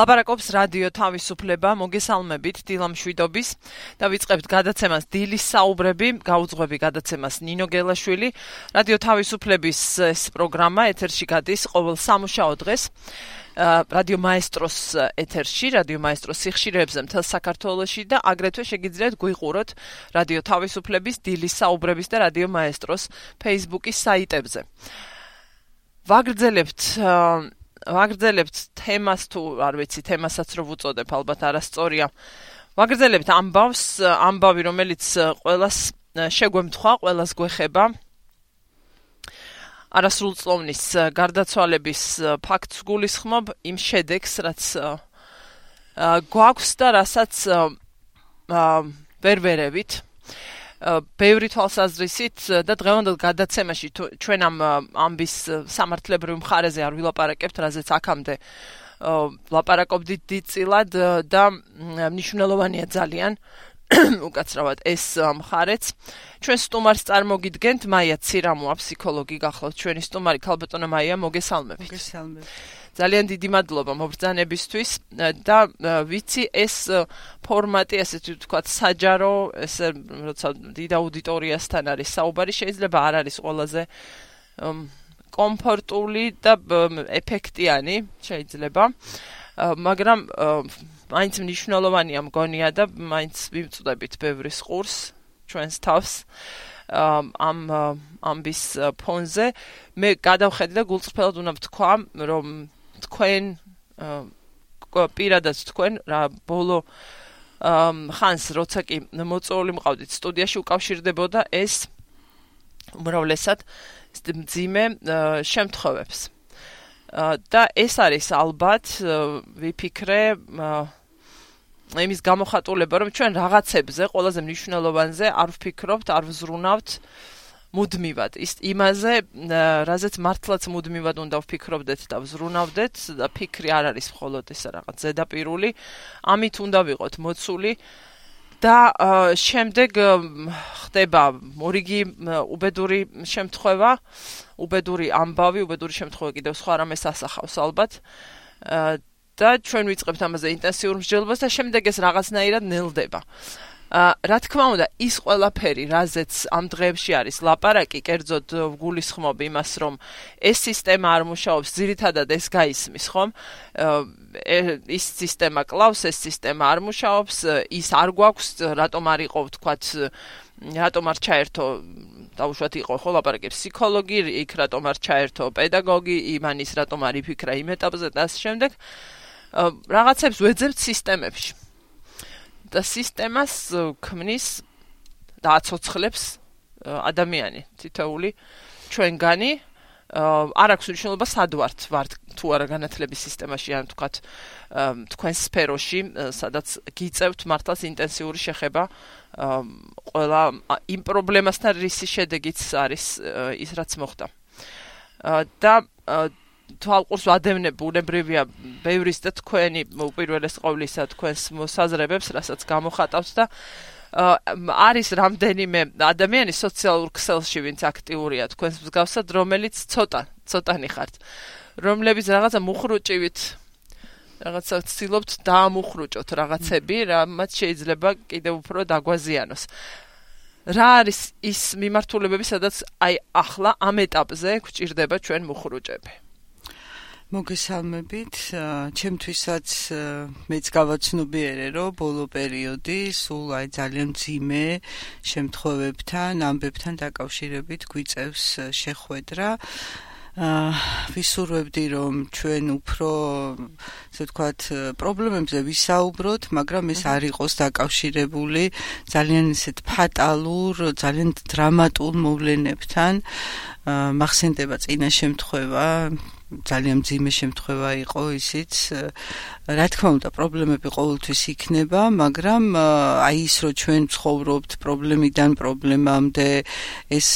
ლაპარაკობს რადიო თავისუფლება, მოგესალმებით დილამ შვიდობის. დავიწყებთ გადაცემას დილის საუბრები, გაუძღვები გადაცემას ნინო გელაშვილი. რადიო თავისუფლების ეს პროგრამა ეთერში გადის ყოველ სამუშაო დღეს. რადიო მაესტროს ეთერში, რადიო მაესტროს სიხშირეებზე მთელ საქართველოში და აგრეთვე შეგიძლიათ გვიყუროთ რადიო თავისუფლების დილის საუბრების და რადიო მაესტროს Facebook-ის საიტებზე. ვაგრძელებთ თემას თუ არ ვიცი, თემასაც რო ვუწოდებ, ალბათ არასწორია. ვაგრძელებთ ამბავი, რომელიც ყველას შეგვემთხვა, ყველას გვეხება. არასრულწლოვნის გარდაცვალების ფაქტს გულისხმობ, იმ შედეგს, რაც გვაქვს და რასაც ვერ ვერევით. ბევრი თვალსაზრისით და დღევანდელ გადაცემაში ჩვენ ამ ამბის სამართლებრივ მხარეზე არ ვილაპარაკებთ, რაზეც აქამდე ვლაპარაკობდით დიდწილად და მნიშვნელოვანია ძალიან უკაცრავად ეს მხარეც. ჩვენ სტუმარს წარმოგიდგენთ მაია ცირამოა, ფსიქოლოგი გახლავთ ჩვენი სტუმარი. ქალბატონო მაია, მოგესალმებით. ძალიან დიდი მადლობა მობრძანებისთვის და ვიცი ეს ფორმატი, ასეთი ვთქვათ, საჯარო, ესე როცა დიდ აუდიტორიასთან არის საუბარი, შეიძლება არ არის ყველაზე კომფორტული და ეფექტიანი, შეიძლება, მაგრამ მაინც მნიშვნელოვანია მგონია და მაინც ვიმწვდებით ბევრის ყურს ჩვენს თავს ამ ამბის ფონზე. მე გადავხედე და გულწრფელად უნდა ვთქვა, რომ თქვენ პირადად თქვენ რა ბოლო ხანს როცა კი მოწვეული მყავდით სტუდიაში უკავშირდებოდა ეს უმრავლესად მძიმე შემთხვევებს. და ეს არის ალბათ ვიფიქრე იმის გამოხატულება, რომ ჩვენ რაღაცებზე, ყველაზე მნიშვნელოვანზე არ ვფიქრობთ, არ ვზრუნავთ მუდმივად. იმაზე, რაზეც მართლაც მუდმივად უნდა ვფიქრობდეთ და ვზრუნავდეთ და ფიქრი არ არის მხოლოდ ეს რაღაც ზედაპირული, ამით უნდა ვიყოთ მოცული და შემდეგ ხდება მორიგი უბედური შემთხვევა, უბედური ამბავი, უბედური შემთხვევა კიდევ სხვა რამეს ასახავს ალბათ. და ჩვენ ვიწყებთ ამაზე ინტენსიურ მსჯელობას და შემდეგ ეს რაღაცნაირად ნელდება. რა თქმა უნდა, ის ყველაფერი, რაზეც ამ დღეებში არის ლაპარაკი, კერძოდ ვგულისხმობ იმას, რომ ეს სისტემა არ მუშაობს, ძირითადად ეს გაისმის, ხომ? ის სისტემა კლავს, ეს სისტემა არ მუშაობს, ის არ გვაქვს, რატომ არ იყო, ვთქვათ, რატომ არ ჩაერთო დაუშვათ იყო ხო ლაპარაკი ფსიქოლოგი, იქ რატომ არ ჩაერთო პედაგოგი, იმანის რატომ არ იფიქრა იმ ეტაპზე და ამ შემდეგ რაღაცებს ვეძებთ სისტემებში. და სისტემას ქმნის და აცოცხლებს ადამიანი, თითოეული ჩვენგანი. არ აქვს მნიშვნელობა სად ვართ თუ არა განათლების სისტემაში, ან თქვათ თქვენ სფეროში, სადაც გიწევთ მართლაც ინტენსიური შეხება ყველა იმ პრობლემასთან, რის შედეგიც არის ის, რაც მოხდა. და თვალყურს ვადევნებ, უნებრივია ბევრის და თქვენი უპირველეს ყოვლისა თქვენს მოსაზრებებს, რასაც გამოხატავთ და არის რამდენიმე ადამიანი სოციალურ ქსელში, ვინც აქტიურია თქვენს მსგავსად, რომელიც ცოტანი ხართ, რომლებიც რაღაცა მუხრუჭივით, რაღაცა ცდილობთ დაამუხრუჭოთ რაღაცები, რამაც შეიძლება კიდევ უფრო დაგვაზიანოს. რა არის ის მიმართულებები, სადაც აი ახლა ამ ეტაპზე გვჭირდება ჩვენ მუხრუჭები? მოგესალმებით, ჩემთვისაც მეც გავაცნობიერე, რომ ბოლო პერიოდი სულ აი ძალიან მძიმე შემთხვევებთან, ამბებთან დაკავშირებით გვიწევს შეხვედრა. ვისურვებდი, რომ ჩვენ უფრო, ასე ვთქვათ, პრობლემებზე ვისაუბროთ, მაგრამ ეს არ იყოს დაკავშირებული ძალიან ისეთ ფატალურ, ძალიან დრამატულ მოვლენებთან. მახსენდება წინა შემთხვევა, ძალიან მძიმე შემთხვევა იყო ისიც. რა თქმა უნდა, პრობლემები ყოველთვის იქნება, მაგრამ აი ის, რომ ჩვენ ცხოვრობთ პრობლემიდან პრობლემამდე, ეს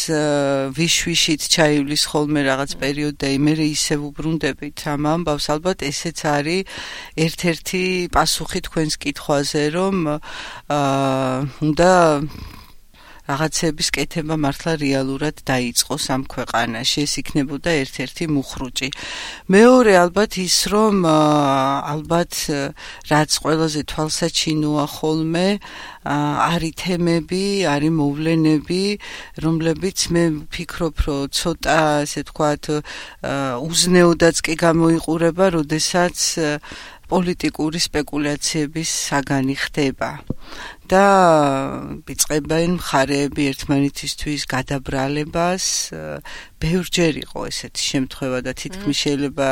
ვიშვიშით ჩაივლის ხოლმე რაღაც პერიოდი და იმერე ისევ უბრუნდებით ამ ამბავს, ალბათ ესეც არის ერთ-ერთი პასუხი თქვენს კითხვაზე, რომ უნდა რაღაცების კეთება მართლა რეალურად დაიწყოს ამ ქვეყანაში. ეს იქნებოდა ერთ-ერთი მუხრუჭი. მეორე ალბათ ის, რომ ალბათ რაც ყველაზე თვალსაჩინოა ხოლმე არის თემები, არის მოვლენები, რომლებიც მე ვფიქრობ, რომ ცოტა, ასე ვთქვათ, უზნეოდაც კი გამოიყურება, როდესაც პოლიტიკური სპეკულაციების საგანი ხდება. და იწყებენ მხარეები ერთმანეთისთვის გადაბრალებას. ბევრჯერ იყო ესეთი შემთხვევა და თითქმის შეიძლება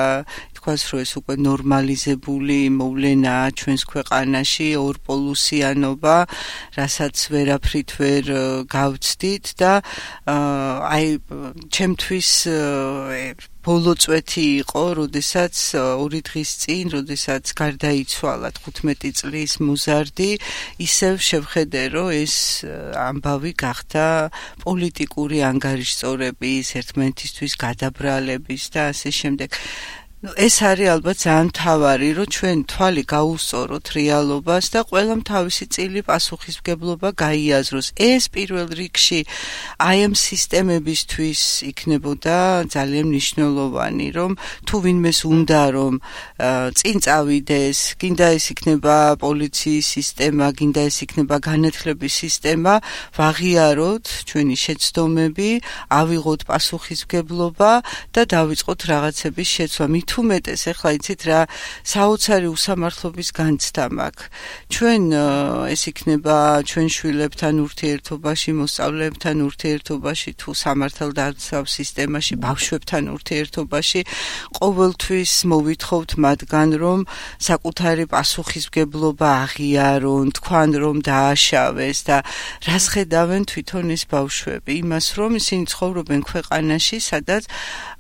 ითქვას, რომ ეს უკვე ნორმალიზებული მოვლენაა ჩვენს ქვეყანაში, ორპოლუსიანობა, რასაც ვერაფრით ვერ გავცდით და აი ჩემთვის ბოლო წვეთი იყო, როდესაც 2 დღის წინ, როდესაც გარდაიცვალა 15 წლის მოზარდი, ისევ შევხედე, რომ ეს ამბავი გახდა პოლიტიკური ანგარიშწორების, ერთმანეთისთვის გადაბრალების და ასე შემდეგ. ეს არის ალბათ ძალიან მთავარი, რომ ჩვენ თვალი გაუსწოროთ რეალობას და ყველამ თავისი წილი პასუხისმგებლობა გაიაზროს. ეს პირველ რიგში აი ამ სისტემებისთვის იქნებოდა ძალიან მნიშვნელოვანი, რომ თუ ვინმეს უნდა რომ წინ წავიდეს, გინდა ეს იქნება პოლიციის სისტემა, გინდა ეს იქნება განათლების სისტემა, ვაღიაროთ ჩვენი შეცდომები, ავიღოთ პასუხისმგებლობა და დავიწყოთ რაღაცების შეცვლა. თუ მეტეს ახლა იცით რა საოცარი უსამართლობის განცდა მაქვს. ჩვენ ეს იქნება ჩვენ შვილებთან ურთიერთობაში, მოსწავლეებთან ურთიერთობაში, თუ სამართალდაცავ სისტემაში, ბავშვებთან ურთიერთობაში, ყოველთვის მოვითხოვთ მათგან, რომ საკუთარი პასუხისმგებლობა აღიარონ, თქვან რომ დააშავეს და რას ხედავენ თვითონ ეს ბავშვები, იმას რომ ისინი ცხოვრობენ ქვეყანაში, სადაც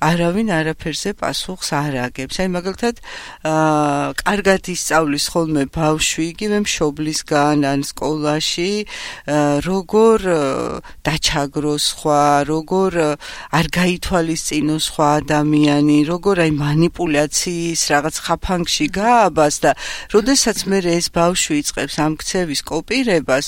არავინ არაფერზე პასუხს არ აგებს. აი მაგალითად, კარგად ისწავლის ხოლმე ბავშვი, იგივე მშობლისგან ან სკოლაში, როგორ დაჩაგროს სხვა, როგორ არ გაითვალისწინოს სხვა ადამიანი, როგორ აი მანიპულაციის რაღაც ხაფანგში გააბას და როდესაც მე ეს ბავშვი იწყებს ამ ქცევის კოპირებას,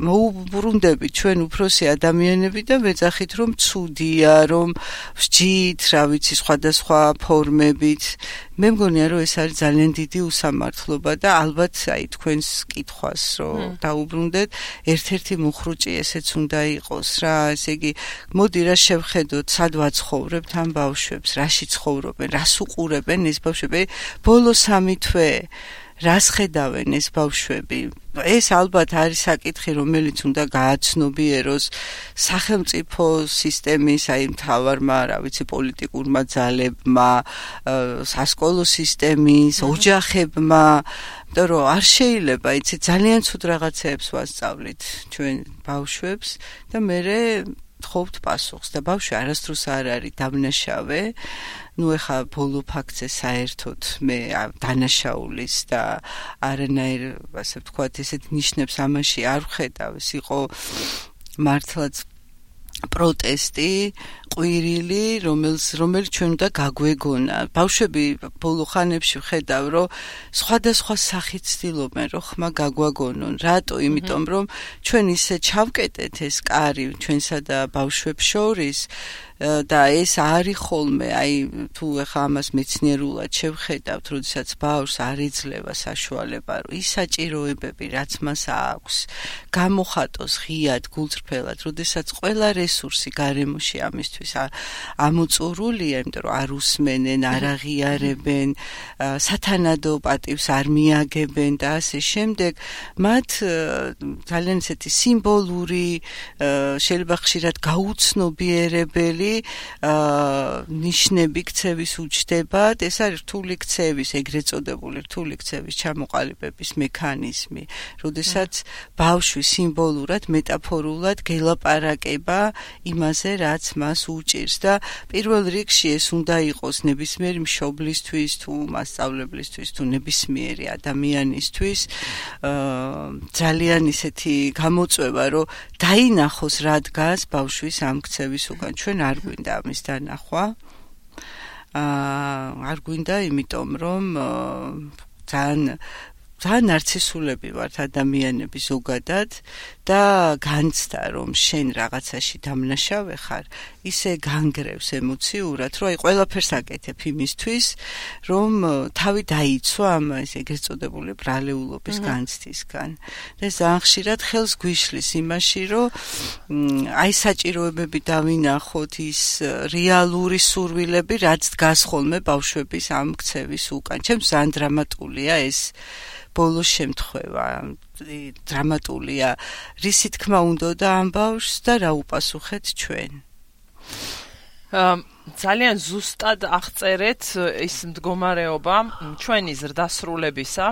მოუბრუნდებით ჩვენ უფროსი ადამიანები და ვეძახით, რომ ცუდია, რომ ვსჯით, რა ვიცი, სხვადასხვა ფორმებით. მე მგონია, რომ ეს არის ძალიან დიდი უსამართლობა და ალბათ აი თქვენს კითხვას, რომ დაუბრუნდეთ, ერთ-ერთი მუხრუჭი ესეც უნდა იყოს რა, ესე იგი, მოდი რა შევხედოთ, სად ვაცხოვრებთ ამ ბავშვებს, რაში ცხოვრობენ, რას უყურებენ ეს ბავშვები, ბოლო 3 თვე რას ხედავენ ეს ბავშვები? ეს ალბათ არის საკითხი, რომელიც უნდა გააცნობიეროს სახელმწიფო სისტემის, აი მთავარმა, რა ვიცი, პოლიტიკურმა ძალებმა, სასკოლო სისტემის, ოჯახებმა, იმიტომ რომ არ შეიძლება, იცი, ძალიან ცუდ რაღაცეებს ვასწავლით ჩვენ ბავშვებს და მერე თხოვთ პასუხს და ბავშვი არასდროს არ არის დამნაშავე. ნუ ეხა ბოლო ფაქტზე საერთოდ მე დანაშაულის და არანაირ, ასე ვთქვათ, ესეთ ნიშნებს ამაში არ ვხედავ. ეს იყო მართლაც პროტესტი, ყვირილი, რომელიც ჩვენ უნდა გაგვეგონა. ბავშვები ბოლო ხანებში ვხედავ, რომ სხვადასხვა სახით ცდილობენ, რომ ხმა გაგვაგონონ. რატო? იმიტომ რომ ჩვენ ისე ჩავკეტეთ ეს კარი ჩვენსა და ბავშვებს შორის და ეს არის ხოლმე, აი თუ ეხა ამას მეცნიერულად შევხედავთ, როდესაც ბავშვს არ იძლევა საშუალება, რომ ის საჭიროებები, რაც მას აქვს, გამოხატოს ღიად, გულწრფელად, როდესაც ყველა რესურსი გარემოში ამისთვის ამოწურულია, იმიტომ რომ არ უსმენენ, არ აღიარებენ, სათანადო პატივს არ მიაგებენ და ასე შემდეგ, მათ ძალიან ესეთი სიმბოლური, შეიძლება ხშირად გაუცნობიერებელი ნიშნები ქცევის უჩნდებათ. ეს არის რთული ქცევის, ეგრეთ წოდებული რთული ქცევის ჩამოყალიბების მექანიზმი, როდესაც ბავშვი სიმბოლურად, მეტაფორულად გელაპარაკება იმაზე, რაც მას უჭირს და პირველ რიგში ეს უნდა იყოს ნებისმიერი მშობლისთვის, თუ მასწავლებლისთვის, თუ ნებისმიერი ადამიანისთვის ძალიან ისეთი გამოწვევა, რომ დაინახოს რა დგას ბავშვის ამ ქცევის უკან. ჩვენ არ გვინდა ამის დანახვა. არ გვინდა, იმიტომ რომ ძალიან ძალიან ნარცისულები ვართ ადამიანები ზოგადად და განცდა რომ შენ რაღაცაში დამნაშავე ხარ, ისე განგრევს ემოციურად, რომ აი ყველაფერს აკეთებ იმისთვის, რომ თავი დაიცვა ამ ეგრეთ წოდებული ბრალეულობის განცდისგან. და ძალიან ხშირად ხელს გვიშლის იმაში, რომ აი საჭიროებები დავინახოთ, ის რეალური სურვილები, რაც დგას ხოლმე ბავშვების ამ ქცევის უკან. ჩემს ძალიან დრამატულია ეს ბოლოს შემთხვევა, დრამატულია, რისი თქმა უნდა ამ ბავშვს და რა უპასუხეთ ჩვენ. ძალიან ზუსტად აღწერეთ ის მდგომარეობა ჩვენი ზრდასრულებისა,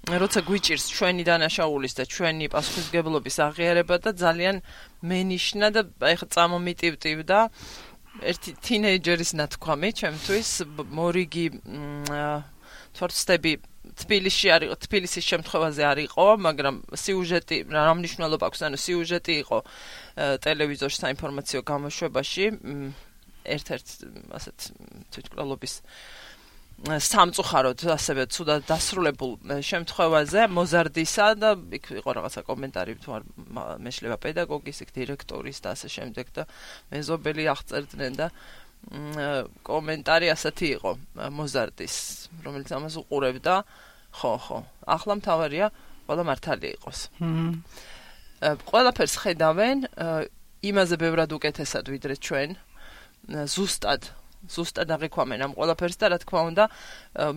როცა გვიჭირს ჩვენი დანაშაულის და ჩვენი პასუხისმგებლობის აღიარება და ძალიან მენიშნა და ეხლა წამომიტივტივდა ერთი თინეიჯერის ნათქვამი ჩემთვის, მორიგი თორცდები თბილისის შემთხვევაზე არ იყო, მაგრამ სიუჟეტი რა მნიშვნელობა აქვს, ანუ სიუჟეტი იყო ტელევიზორში საინფორმაციო გამოშვებაში, ერთ-ერთ ასეთ თვითმკვლელობის სამწუხაროდ ასევე ცუდად დასრულებულ შემთხვევაზე მოზარდისა და იქ იყო რაღაცა კომენტარი თუ არ მეშლება პედაგოგის, დირექტორის და ასე შემდეგ და მეზობელი აღწერდნენ და კომენტარი ასეთი იყო მოზარდის, რომელიც ამას უყურებდა. ხო, ახლა მთავარია ყველა მართალი იყოს. ყველაფერს ხედავენ იმაზე ბევრად უკეთესად ვიდრე ჩვენ, ზუსტად აღიქვამენ ამ ყველაფერს და რა თქმა უნდა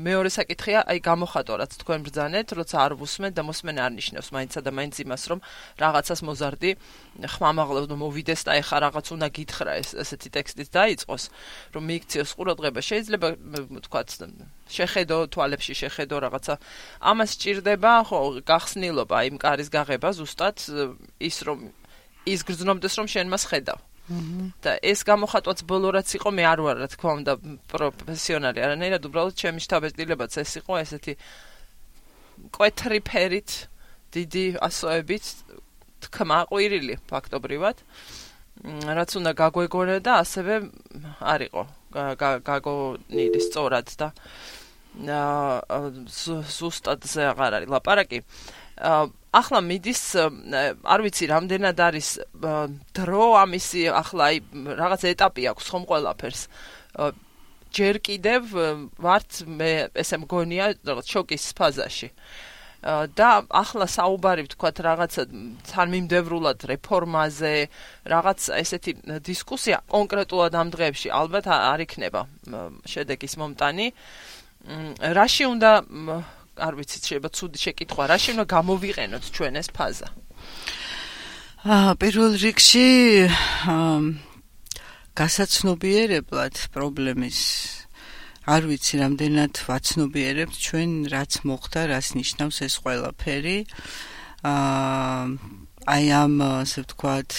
მეორე საკითხია აი გამოხატო რაც თქვენ ბრძანეთ, როცა არ ვუსმენ და მოსმენ არ ნიშნავს მაინცსა და მაინც იმას რომ რაღაცას მოზარდი ხმამაღლებს და მოვიდეს და ეხა რაღაც უნდა გითხრა ესეთი ტექსტიც დაიწყოს რომ მიიქციოს ყურადღება შეიძლება ვთქვათ შეხედო თვალებში შეხედო რაღაცა ამას სჭირდება ხო გახსნილობა იმ კარის გაღება ზუსტად ის გრძნობდეს რომ შენ მას ხედავ და ეს გამოხატვაც ბოლო რაც იყო მე არ ვარ რა თქმა უნდა პროფესიონალი არანაირად უბრალოდ ჩემი შთაბეჭდილებაც ეს იყო ესეთი კვეთრი ფერით დიდი ასოებით თქმა ყვირილი ფაქტობრივად რაც უნდა გაგვეგონა და ასევე არ იყო გაგონილი სწორად და ზუსტად ზე აღარ არის ლაპარაკი ახლა მიდის არ ვიცი რამდენად არის დრო ამისი ახლა აი რაღაც ეტაპი აქვს ხომ ყველაფერს ჯერ კიდევ ვართ მე ესე მგონია რაღაც შოკის ფაზაში და ახლა საუბარი ვთქვათ რაღაცა თანმიმდევრულად რეფორმაზე რაღაც ესეთი დისკუსია კონკრეტულად ამ დღეებში ალბათ არ იქნება შედეგის მომტანი რაში უნდა არ ვიცით შეიძლება ცუდი შეკითხვა რაში უნდა გამოვიყენოთ ჩვენ ეს ფაზა პირველ რიგში გასაცნობიერებლად პრობლემის არ ვიცი რამდენად ვაცნობიერებთ ჩვენ რაც მოხდა რას ნიშნავს ეს ყველაფერი აი ამ ასე ვთქვათ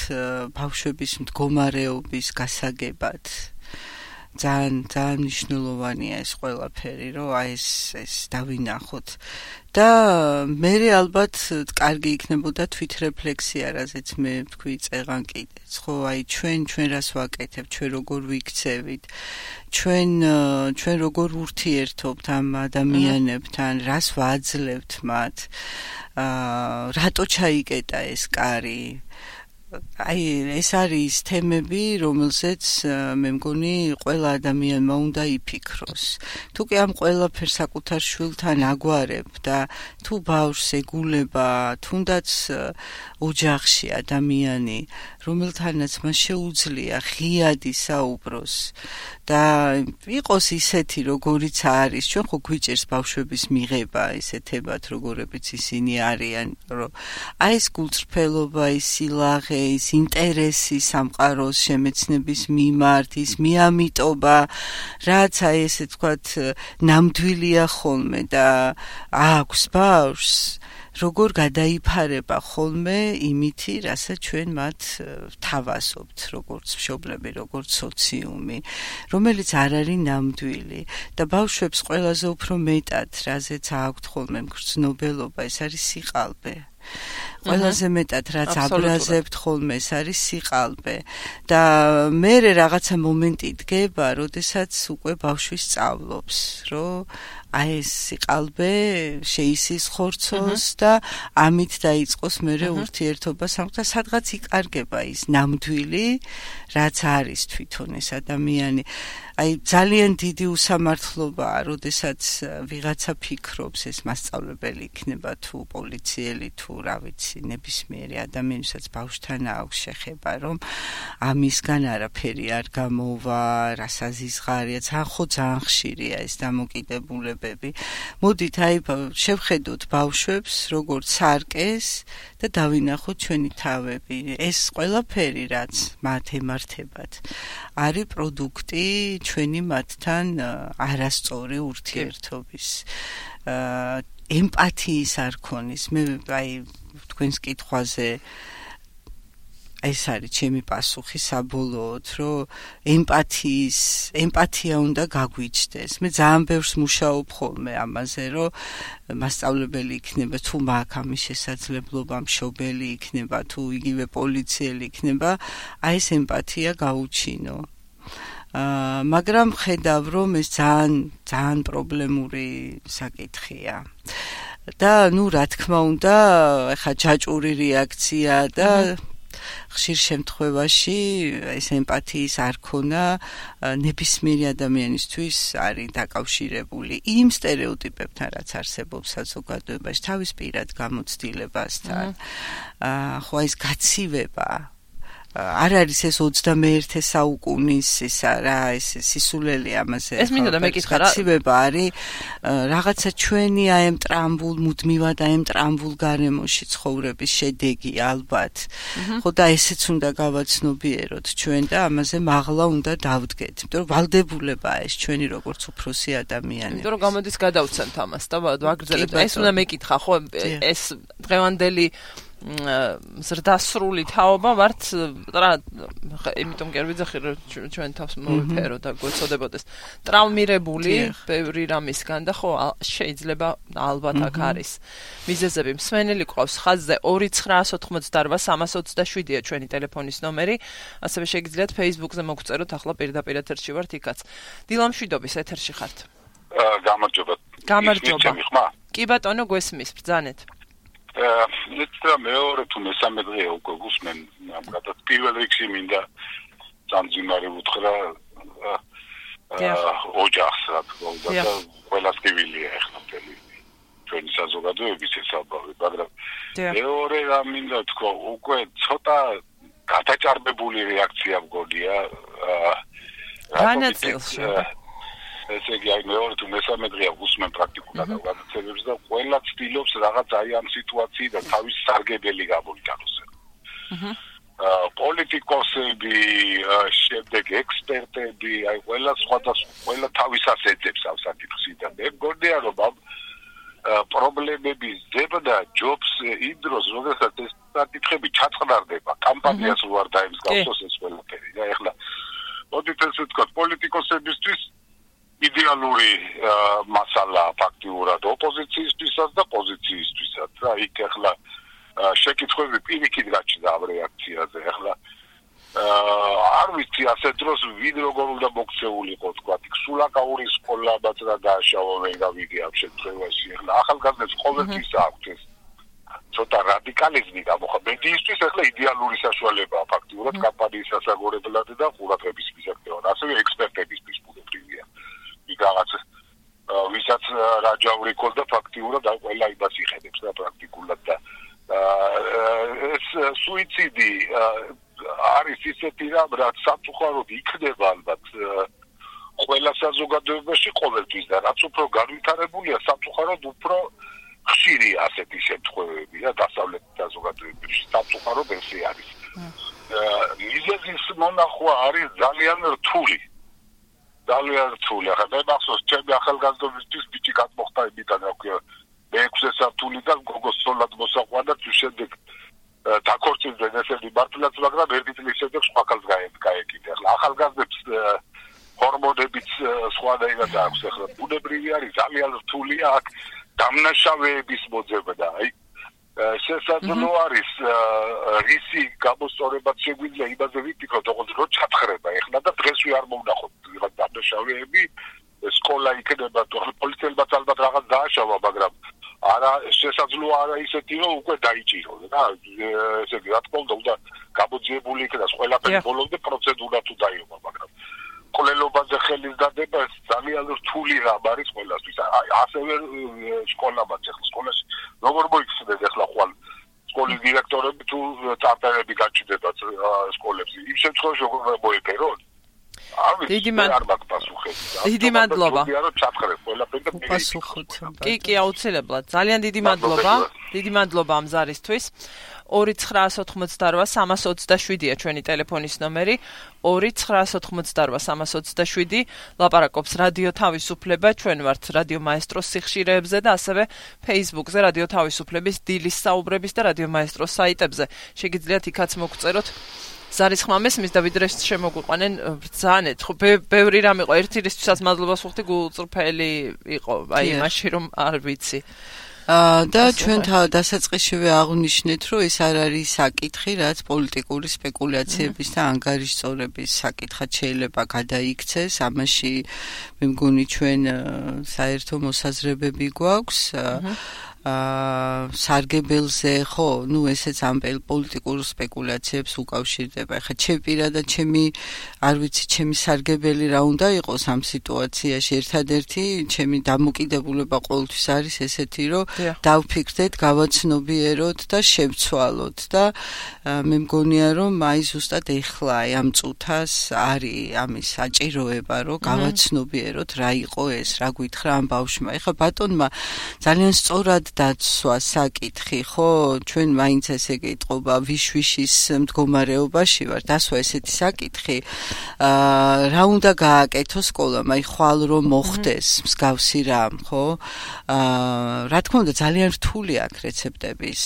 ბავშვების მდგომარეობის გასაგებად ძალიან მნიშვნელოვანია ეს ყველაფერი, რომ აი ეს დავინახოთ. და მე ალბათ კარგი იქნებოდა თვითრეფლექსია, რაზეც მე ვთქვი წეღან კიდეც. ხო, აი ჩვენ რას ვაკეთებთ, ჩვენ როგორ ვიქცევით, ჩვენ როგორ ურთიერთობთ ამ ადამიანებთან, რას ვაძლევთ მათ. რატო ჩაიკეტა ეს კარი? აი ეს არის თემები, რომელზეც მე მგონი ყველა ადამიანმა უნდა იფიქროს. თუ კი ამ ყველაფერს საკუთარ შვილთან აგვარებ და თუ ბავშვს ეგულება, თუნდაც ოჯახში ადამიანი, რომელთანაც მას შეუძლია ღიადი საუბროს და იყოს ისეთი, როგორიც არის, ჩვენ ხო გვიჭერს ბავშვების მიღება ისეთებად, როგორებიც ისინი არიან, რომ აი ეს გულწრფელობა, ის სილაღე, ის ინტერესი სამყაროს შემეცნების მიმართ, ის მიამიტობა, რაც აი ესე თქვათ ნამდვილია ხოლმე და აქვს ბავშვს როგორ გადაიფარება ხოლმე იმითი, რასაც ჩვენ მათ ვთავაზობთ, როგორც მშობლები, როგორც სოციუმი, რომელიც არ არის ნამდვილი და ბავშვებს ყველაზე უფრო მეტად, რაზეც აქვთ ხოლმე მგრძნობელობა, ეს არის სიყალბე. ყველაზე მეტად რაც აბრაზებთ ხოლმე ეს არის სიყალბე და მე რაღაცა მომენტი დგება, როდესაც უკვე ბავშვი სწავლობს, რომ აი ეს სიყალბე შეისის ხორცოს და ამით დაიწყოს მერე ურთიერთობა და სადღაც იკარგება ის ნამდვილი რაც არის თვითონ ეს ადამიანი აი ძალიან დიდი უსამართლობაა როდესაც ვიღაცა ფიქრობს ეს მასწავლებელი იქნება თუ პოლიციელი თუ რა ვიცი ნებისმიერი ადამიანისაც ბავშვთან აქვს შეხება რომ ამისგან არაფერი არ გამოვა რასაზიზღარია ძალიან ხშირია ეს დამოკიდებულებები მოდით აი შევხედოთ ბავშვებს როგორც სარკეს და დავინახოთ ჩვენი თავები ეს ყველაფერი რაც მათ ემართებათ არის პროდუქტი ჩვენი მათთან არასწორი ურთიერთობის ემპათიის არ ქონის მე აი თქვენს კითხვაზე ეს არის ჩემი პასუხი საბოლოოდ რომ ემპათია უნდა გაგვიჩნდეს მე ძალიან ბევრს მუშაობ ხოლმე ამაზე რომ მასწავლებელი იქნება თუ მაქვს ამის შესაძლებლობა მშობელი იქნება თუ იგივე პოლიციელი იქნება აი ეს ემპათია გაუჩინო მაგრამ ხედავ რომ ეს ძალიან პრობლემური საკითხია და ნუ რა თქმა უნდა ეხა ჯაჭვური რეაქცია და ხშირ შემთხვევაში ეს ემპათიის არ ქონა ნებისმიერი ადამიანისთვის არის დაკავშირებული იმ სტერეოტიპებთან რაც არსებობს საზოგადოებაში თავის პირად გამოცდილებასთან ხო ეს გაცივება არ არის ეს 21 საუკუნის ისა რა ეს სისულელი ამაზე ეს მინდა მეკითხა რა გაცივება არის რაღაცა ჩვენი აი ამ ტრამბულ მუდმივად აი ამ ტრამბულ გარემოში ცხოვრების შედეგი ალბათ ხო და ესეც უნდა გავაცნობიეროთ ჩვენ და ამაზე მაღლა უნდა დავდგეთ იმიტომ რომ ვალდებულებაა ეს ჩვენი როგორც უფროსი ადამიანები იმიტომ რომ გამოდის გადავცემთ ამას და ვაგრძელებთ ეს უნდა მეკითხა ხო ეს დღევანდელი ზრდასრული თაობა ვართ რა იმიტომ კი არ ვიძახი რომ ჩვენ თავს მოვიფერო და გვეცოდებოდეს ტრავმირებული ბევრი რამისგან და ხო შეიძლება ალბათ აქ არის მიზეზები მსმენელი ყავს ხაზზე 2988327-ია ჩვენი ტელეფონის ნომერი ასევე შეგიძლიათ Facebook-ზე მოგწეროთ ახლა პირდაპირ ეთერში ვართ იქაც დილა მშვიდობის ეთერში ხართ გამარჯობა კი ბატონო გვესმის ბრძანეთ Let's მეორე თუ მესამე დღეა უკვე გუსმენ ამგვარად პირველ რიგში მინდა სამძიმარი უთხრა ოჯახს რა თქმა უნდა და ყველას კივილია ახლა მთელი ჩვენი საზოგადოების შესაბამი მაგრამ მეორე რა მინდა თქვა უკვე ცოტა გადაჭარბებული რეაქცია მგონია განაწილში ესე იგი აი მეორე თუ მესამე დღეა გუსმენ პრაქტიკულად განაცემებს და ყველა ცდილობს რაღაც აი ამ სიტუაციიდან თავის სარგებელი გამოიტანოს. პოლიტიკოსები, შემდეგ ექსპერტები, აი ყველა ყველა თავისას ეძებს ამ საკითხიდან. მე მგონია რომ ამ პრობლემების ზებდა ჯობს იმ დროს, როდესაც ეს საკითხები ჩაწყნარდება, კამპანიას უარ დაემსგავსოს ეს ყველაფერი. და ეხლა მოდით ესე ვთქვათ, პოლიტიკოსებისთვის იდეალური მასალა ფაქტიურად ოპოზიციისთვისაც და პოზიციისთვისაც. რა იქ ახლა შეკითხვები პირიქით გაჩნდა ამ რეაქციაზე. ახლა არ ვიცი ასე დროს ვინ როგორ უნდა მოქცეულიყო თქვა. იქ სულაკაურის სკოლაბაც რა დააშავა მე გავიგე ამ შემთხვევაში. ახლა ახალგაზრდებს ყოველთვის აქვს ეს ცოტა რადიკალიზმი გამოხმედიისთვის ახლა იდეალური საშუალებაა ფაქტიურად კამპანიის სასაგორებლად და ყურადღების მისაღებად. ასევე ექსპერტებისთვის ბუნებრივია. იქაც ვისაც რაჯავრი ქონდა ფაქტიურად და ყველა იმას იხედებს და პრაქტიკულად და ეს სუიციდი არის ისეთი რამ რაც სამწუხაროდ იქნება ალბათ ყველა საზოგადოებაში ყოველთვის და რაც უფრო განვითარებულია სამწუხაროდ უფრო ხშირია ასეთი შემთხვევები და დასავლეთ საზოგადოებებში სამწუხაროდ ესე არის მიზეზის მონახვა არის ძალიან რთული ახლა მე მახსოვს ჩემი ახალგაზრდობისთვის ბიჭი გადმოხდა იმიდან რა ქვია მე-6 სართულიდან გოგოს სოლად მოსაყვანა თუ შემდეგ დაქორწინდნენ ესეთი მართლაც მაგრამ ერთი წლის შემდეგ სხვა ქალს გაეკიდა ახლა ახალგაზრდებს ჰორმონებიც სხვადასხვა აქვს ახლა ბუნებრივი არის ძალიან რთულია აქ დამნაშავეების მოძებნა აი შესაძლო არის რისი გამოსწორებაც შეგვიძლია იმაზე ვიფიქროთ როგორც რომ ჩათხრება ახლა და დღესვე არ მოვნახოთ ვიღაც დამნაშავეები სკოლა იქნება თუ პოლიციელებაც ალბათ რაღაც დააშავა, მაგრამ არა შესაძლოა არა ისეთი რომ უკვე დაიჭირო რა ესე იგი რა თქმა უნდა გამოძიებული იქნას ყველაფერი ბოლომდე პროცედურა თუ დაიობა, მაგრამ კვლელობაზე ხელის დადება ძალიან რთული რამ არის ყველასთვის. ასევე სკოლამაც ახლა სკოლაში როგორ მოიხსნეს ახლა ხვალ სკოლის დირექტორები თუ წარწერები გაჩნდებათ სკოლებში. იმ შემთხვევაში როგორ მოიფერონ? დიდი მადლობა. კი, აუცილებლად. ძალიან დიდი მადლობა. დიდი მადლობა ამ ზარისთვის. 2988-327-ია ჩვენი ტელეფონის ნომერი. 2988-327 ლაპარაკობს რადიო თავისუფლება. ჩვენ ვართ რადიო მაესტროს სიხშირეებზე და ასევე Facebook-ზე რადიო თავისუფლების დილის საუბრების და რადიო მაესტროს საიტებზე. შეგიძლიათ იქაც მოგწეროთ ზარის ხმამეს მის და ვიდრე შემოგვიყვანენ ბრძანეთ. ხო ბევრი რამ იყო. ერთი რისთვისაც მადლობას ვუხდი გულწრფელი იყო. აი მაშინ რომ არ ვიცი. და ჩვენ დასაწყისშივე აღვნიშნეთ, რომ ეს არ არის საკითხი, რაც პოლიტიკური სპეკულაციების და ანგარიშწორების საკითხად შეიძლება გადაიქცეს. ამაში მე მგონი ჩვენ საერთო მოსაზრებები გვაქვს. სარგებელზე ხო, ესეც ამ პოლიტიკურ სპეკულაციებს უკავშირდება. ეხლა ჩემი პირადად არ ვიცი, ჩემი სარგებელი რა უნდა იყოს ამ სიტუაციაში. ერთადერთი ჩემი დამოკიდებულება ყოველთვის არის ესეთი, რომ დავფიქრდეთ, გავაცნობიეროთ და შევცვალოთ და მე მგონია, რომ აი ზუსტად ეხლა ამ წუთას არის ამის საჭიროება, რომ გავაცნობიეროთ რა იყო ეს, რა გითხრა ამ ბავშვმა. ეხლა ბატონმა ძალიან სწორად დაცვა საკითხი, ხო, ჩვენ მაინც ესე გეტყობა ვიშვიშის მდგომარეობაში ვარ, დასვა ესეთი საკითხი, რა უნდა გააკეთო სკოლამ, აი ხვალ რომ მოხდეს მსგავსი რამ, ხო? რა თქმა უნდა ძალიან რთული აქვს რეცეპტების,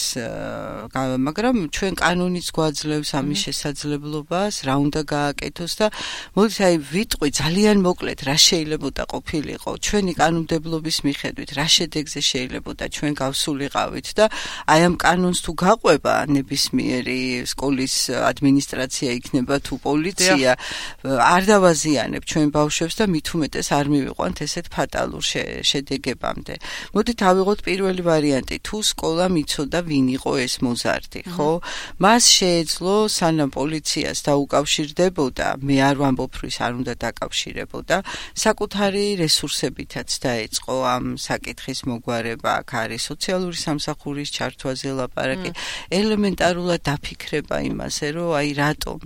მაგრამ ჩვენ კანონიც გვაძლევს ამის შესაძლებლობას, რა უნდა გააკეთოს და მოდით აი ვიტყვი ძალიან მოკლედ რა შეიძლებოდა ყოფილიყო ჩვენი კანონმდებლობის მიხედვით, რა შედეგზე შეიძლებოდა ჩვენ გავსულიყავით და აი ამ კანონს თუ გაყვება ნებისმიერი სკოლის ადმინისტრაცია იქნება თუ პოლიცია, არ დავაზიანებ ჩვენ ბავშვებს და მით უმეტეს არ მივიყვანთ ესეთ ფატალურ შედეგებამდე. მოდით ავიღოთ პირველი ვარიანტი, თუ სკოლამ იცოდა ვინ იყო ეს მოზარდი, ხო? მას შეეძლო სანამ პოლიციას დაუკავშირდებოდა, მე არ ვამბობ, რომ ის არ უნდა დაკავშირებოდა, საკუთარი რესურსებითაც დაეწყო ამ საკითხის მოგვარება, აქ არის სოციალური სამსახურის ჩართვაზე ლაპარაკი, ელემენტარულად დაფიქრება იმაზე, რომ აი რატომ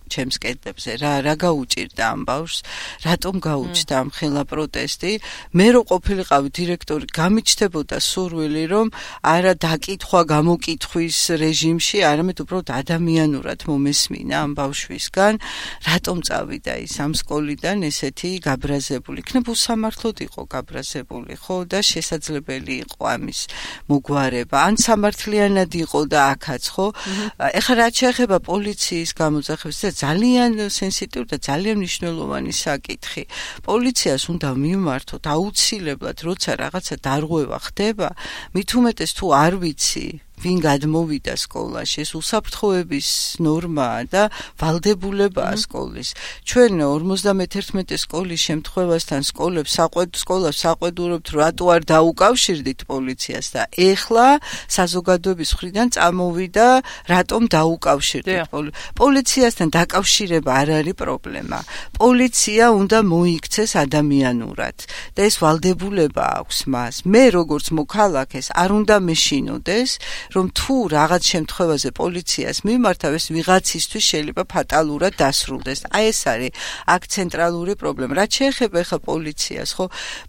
ჩემს კედლებზე რა გაუჭირდა ამ ბავშვს, რატომ გაუჩნდა ამ ხელა პროტესტი. მე რო ყოფილიყავი დირექტორი, გამიჩნდებოდა სურვილი, რომ არა დაკითხვა გამოკითხვის რეჟიმში, არამედ უბრალოდ ადამიანურად მომესმინა ამ ბავშვისგან, რატომ წავიდა ის ამ სკოლიდან ესეთი გაბრაზებული. იქნებ უსამართლოდ იყო გაბრაზებული, ხო, და შესაძლებელი იყო ამის მოგვარება. ან სამართლიანად იყო და აქაც, ხო? ეხლა რაც შეეხება პოლიციის გამოძახებას, ძალიან სენსიტიური და ძალიან მნიშვნელოვანი საკითხი. პოლიციას უნდა მიმართოთ აუცილებლად, როცა რაღაცა დარღვევა ხდება, მით უმეტეს თუ არ ვიცი ვინ გადმოვიდა სკოლაში, ეს უსაფრთხოების ნორმაა და ვალდებულებაა სკოლის. ჩვენ 51 სკოლის შემთხვევასთან სკოლას საყვედურობთ, რატო არ დაუკავშირდით პოლიციას და ეხლა საზოგადოების მხრიდან წამოვიდა, რატომ დაუკავშირდით პოლიციასთან დაკავშირება არ არის პრობლემა. პოლიცია უნდა მოიქცეს ადამიანურად და ეს ვალდებულება აქვს მას. მე როგორც მოქალაქეს არ უნდა მეშინოდეს, რომ თუ რაღაც შემთხვევაზე პოლიციას მიმართავ, ეს ვიღაცისთვის შეიძლება ფატალურად დასრულდეს. აი ეს არის აქ ცენტრალური პრობლემა. რაც შეეხება ახლა პოლიციას, ხო,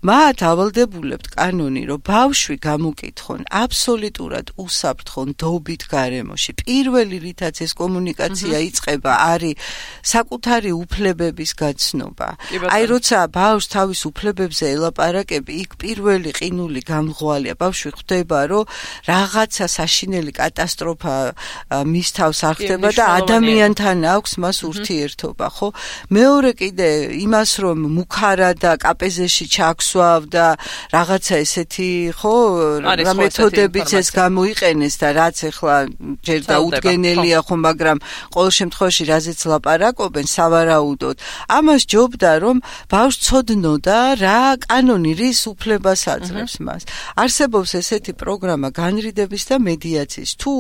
მათ ავალდებულებთ კანონი, რომ ბავშვი გამოკითხონ აბსოლუტურად უსაფრთხო ნდობით გარემოში. პირველი რითაც ეს კომუნიკაცია იწყება, არის საკუთარი უფლებების გაცნობა. აი როცა ბავშვს თავის უფლებებზე ელაპარაკები, იქ პირველი ყინული გამღვალია. ბავშვი ხვდება, რომ რაღაცა საშინელი კატასტროფა მის თავს არ ხდება და ადამიანთან აქვს მას ურთიერთობა, ხო? მეორე კიდე იმას რომ მუქარა და კაპეზეში ჩაქსვავ და რაღაცა ესეთი, ხო, რა მეთოდებიც ეს გამოიყენეს და რაც ეხლა ჯერ დაუდგენელია, ხო, მაგრამ ყოველ შემთხვევაში რაზეც ლაპარაკობენ სავარაუდოდ, ამას ჯობდა რომ ბავშვს ცოდნოდა რა კანონი რის უფლებას აძლევს მას. არსებობს ესეთი პროგრამა განრიდების და მედიაციის. თუ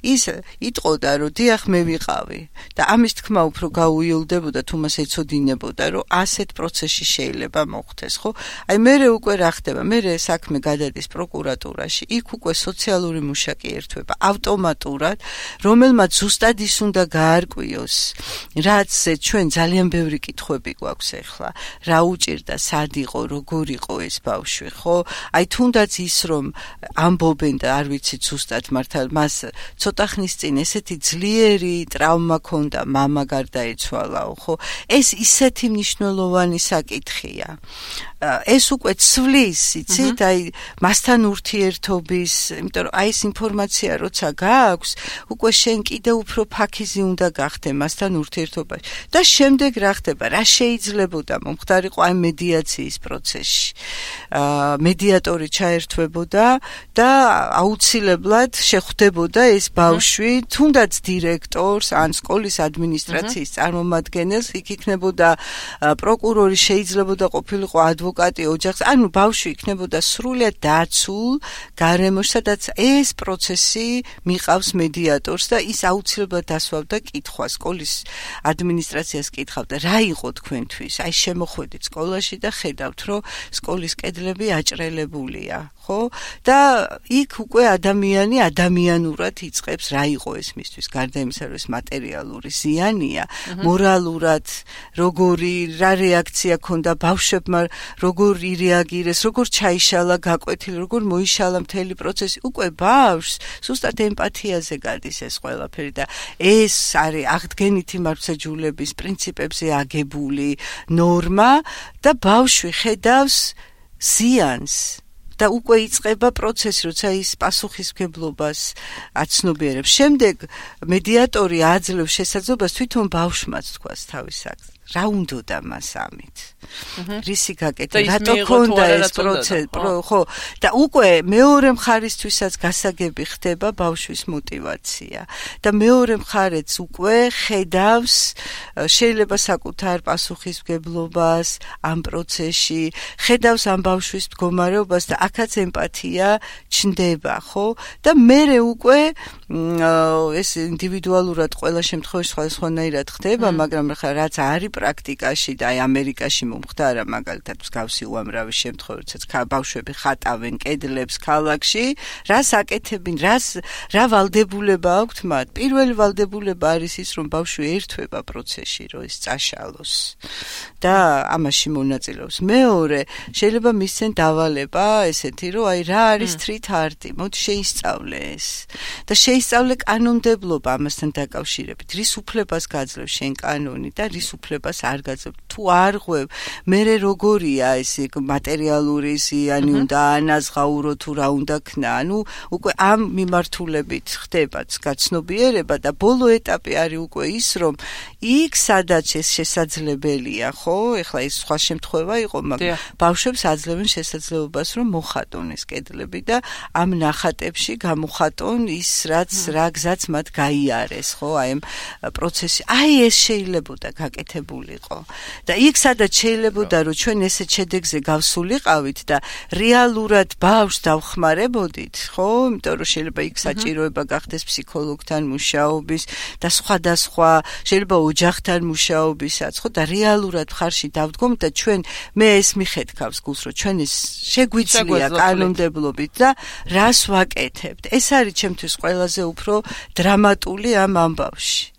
ის იტყოდა რომ დიახ მე ვიყავი და ამის თქმა უფრო გაუიოლდებოდა თუ მას ეცოდინებოდა რომ ასეთ პროცესში შეიძლება მოხდეს, ხო? აი მერე უკვე რა ხდება? მერე საქმე გადადის პროკურატურაში. იქ უკვე სოციალური მუშაკი ერთვება ავტომატურად, რომელმაც ზუსტად ის უნდა გაარკვიოს, რაც ჩვენ ძალიან ბევრი კითხვები გვაქვს ახლა. რა უჭირდა, სად იყო, როგორ იყო ეს ბავშვი, ხო? აი თუნდაც ის რომ ამბობენ და არ ვიცით ზუსტად მართალ მას ცოტა ხნის წინ ესეთი ძლიერი ტრავმა ჰქონდა, მამა გარდაეცვალაო, ხო? ეს ისეთი მნიშვნელოვანი საკითხია. ეს უკვე ცვლის, იცით, აი მასთან ურთიერთობის, იმიტომ რომ აი ეს ინფორმაცია როცა გააქვს, უკვე შენ კიდევ უფრო ფაქიზი უნდა გახდე მასთან ურთიერთობაში. და შემდეგ რა ხდება? რა შეიძლებოდა მომხდარიყო აი მედიაციის პროცესში. მედიატორი ჩაერთვებოდა და აუცილებლად შეხვდებოდა ეს ბავშვი, თუნდაც დირექტორს ან სკოლის ადმინისტრაციის წარმომადგენელს, იქ იქნებოდა პროკურორი, შეიძლებოდა ყოფილიყო ადვოკატი ოჯახს, ანუ ბავშვი იქნებოდა სრულიად დაცულ გარემოში, სადაც ეს პროცესი მიყავს მედიატორს და ის აუცილებლად დასვავდა კითხვას, სკოლის ადმინისტრაციას კითხავდა, რა იყო თქვენთვის? აი შემოხვედით სკოლაში და ხედავთ, რომ სკოლის კედლები აჭრელებულია, ხო? და იქ უკვე ადამიანი ადამიანურად იწყებს რა იყო ეს მისთვის, გარდა იმისა, რომ ეს მატერიალური ზიანია, მორალურად როგორი რა რეაქცია ქონდა ბავშვებმა, როგორ ირეაგირეს, როგორ ჩაიშალა გაკვეთილი, როგორ მოიშალა მთელი პროცესი, უკვე ბავშვს ზუსტად ემპათიაზე გადის ეს ყველაფერი და ეს არის აღდგენითი მართლმსაჯულების პრინციპებზე აგებული ნორმა და ბავშვი ხედავს ზიანს და უკვე იწყება პროცესი, როცა ის პასუხისმგებლობას აცნობიერებს. შემდეგ მედიატორი აძლევს შესაძლებლობას თვითონ ბავშვმაც თქვას თავის აკს. რა უნდოდა მას ამით? რისი გაკეთება? რატო ქონდა ეს პროცესი? ხო, და უკვე მეორე მხარისთვისაც გასაგები ხდება ბავშვის мотиваცია. და მეორე მხარეც უკვე ხედავს შეიძლება საკუთარ პასუხისმგებლობას ამ პროცესში, ხედავს ამ ბავშვის მდგომარეობას და აქაც ემპათია ჩნდება, ხო? და მერე უკვე ეს ინდივიდუალურად ყველა შემთხვევაში სხვადასხვანაირად ხდება, მაგრამ ხა რაც არის პრაქტიკაში და აი ამერიკაში მომხდარა მაგალითად მსგავსი უამრავი შემთხვევა, როდესაც ბავშვები ხატავენ კედლებს ქალაქში, რას აკეთებენ, რა ვალდებულება აქვთ მათ? პირველი ვალდებულება არის ის, რომ ბავშვი ერთვება პროცესში, რომ ის წაშალოს და ამაში მონაწილეობს. მეორე, შეიძლება მისცენ დავალება ესეთი, რომ აი რა არის street art-ი, მოდი შეისწავლე ეს. და შეისწავლე კანონმდებლობა ამასთან დაკავშირებით, რის უფლებას გაძლევს შენ კანონი და რის უფლებას არ გაძლევ. თუ არ ღვევ, მერე როგორია ეს მატერიალური ზიანი უნდა ანაზღაურო თუ რა უნდა ქნა. ანუ უკვე ამ მიმართულებით ხდება გაცნობიერება და ბოლო ეტაპი არის უკვე ის, რომ იქ სადაც ეს შესაძლებელია, ხო? ეხლა ეს სხვა შემთხვევა იყო, მაგრამ ბავშვებს აძლევენ შესაძლებლობას, რომ მოხატონ ეს კედლები და ამ ნახატებში გამოხატონ ის რა გზაც მათ გაიარეს, ხო? აი ამ პროცესში. აი ეს შეიძლებოდა გაკეთებულიყო. და იქ სადაც შეიძლებოდა, რომ ჩვენ ესეთ შედეგზე გავსულიყავით და რეალურად ბავშვს დავხმარებოდით, ხო? იმიტომ რომ შეიძლება იქ საჭიროება გახდეს ფსიქოლოგთან მუშაობის და სხვადასხვა, შეიძლება ოჯახთან მუშაობისაც, ხო? და რეალურად ხარში დავდგომ და ჩვენ მე ეს მიხედავს გულს, რომ ჩვენ ეს შეგვიძლია კანონმდებლობით და რას ვაკეთებთ. ეს არის ჩემთვის ყველაზე უფრო დრამატული ამ ამბავში.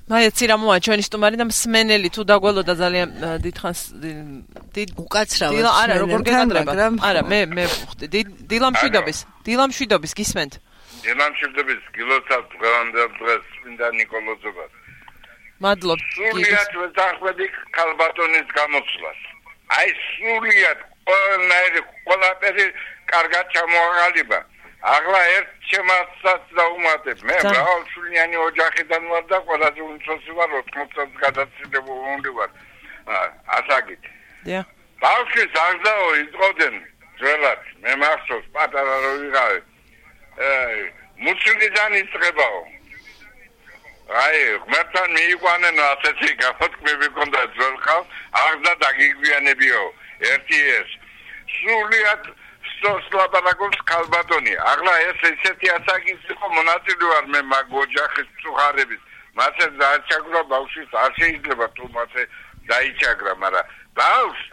მაიაცი რა მოა ჩვენი სტუმარი და მსმენელი თუ დაგველოდა ძალიან დიდხანს უკაცრავად არა როგორ გეკადრება არა მე ვხვდი დილამშვიდობის გისმენთ დილამშვიდობის გილოცავ დღევანდელ დღეს წმინდა ნიკოლოზობას მადლობ სრულიად ვეთანხმები ქალბატონის გამოცვლას აი სრულიად ყველაფერი კარგად ჩამოაყალიბა Agla ert ჩემასაც დაუმატებ. მე მრავალშვილიანი ოჯახიდან ვარ და ყველაზე უმცროსი ვარ 80 წელს გადაცილებული ვარ. ასაგით. დიახ. ბავშვი ზარდაო იწყოდნენ ძველად. მე მახსოვს პატარა რო ვიყავი. მუცლიდან იწყებაო. აი, ღმერთთან მიიყვანენ ასეთი გამოთქმები ქონდა ძველ ხალხს, აღზრდა დაგიგვიანებიო. ერთი ეს. სულიად სლაბარაკობს ქალბატონი. ახლა ეს ესეთი ასაკის იყო მონაწილე ვარ მე მაგ ოჯახის წუხარების. მასე დააჩაგრა ბავშვის არ შეიძლება თუ მასე დაიჩაგრა, მაგრამ ბავშვს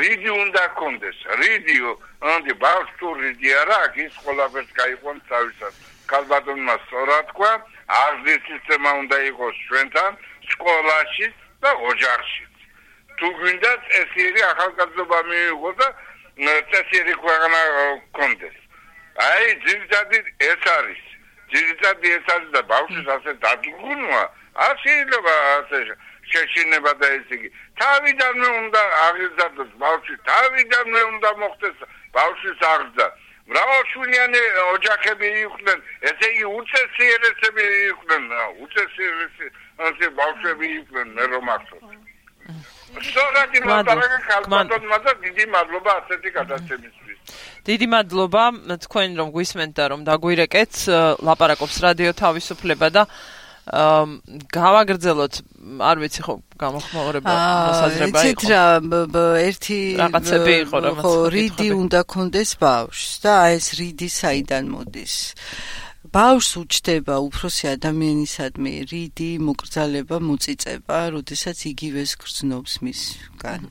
რიდი უნდა კონდეს. რიდიო, ანდი ბავშვს თუ რიდი არა აქვს, ის ყველაფერს გაიყვანს თავისად. ქალბატონმა სწორად თქვა, აღზრდის სისტემა უნდა იყოს ჩვენთან სკოლაში და ოჯახში. თუ გვინდათ ესეთი ახალგაზრდობა მიიღო და წესიერი ქვეყანა კონდეს. აი, ძირითადად ეს არის. ძირითადად ეს არის და ბავშვის ასე დადგუნვა, არ შეიძლება ასე შეშინება და ესე იგი. თავიდანვე უნდა აღიზარდოს ბავშვი, თავიდანვე უნდა მოხდეს ბავშვის აღზრდა. მრავალშვილიანი ოჯახები იყვნენ, ესე იგი უწესიერესები იყვნენ, უწესიერესი ბავშვები იყვნენ, მე რომ ახსოვს. სწორად იმატარაგა ქალბატონმა და დიდი მადლობა ასეთი გადაცემისთვის. დიდი მადლობა თქვენ რომ გვისმენთ და რომ დაგვირეკეთ, ლაპარაკობს რადიო თავისუფლება და გავაგრძელოთ, არ ვიცი ხო გამოხმაურება მოსაზრება იყო. იცით რა, ერთი რაღაცები იყო რომ რიდი უნდა კონდეს ბავშვს და აი ეს რიდი საიდან მოდის. ბავშვს უჩდება უფროსი ადამიანისადმი რიდი, მოკრძალება, მოწიწება, როდესაც იგივეს გრძნობს მისგან.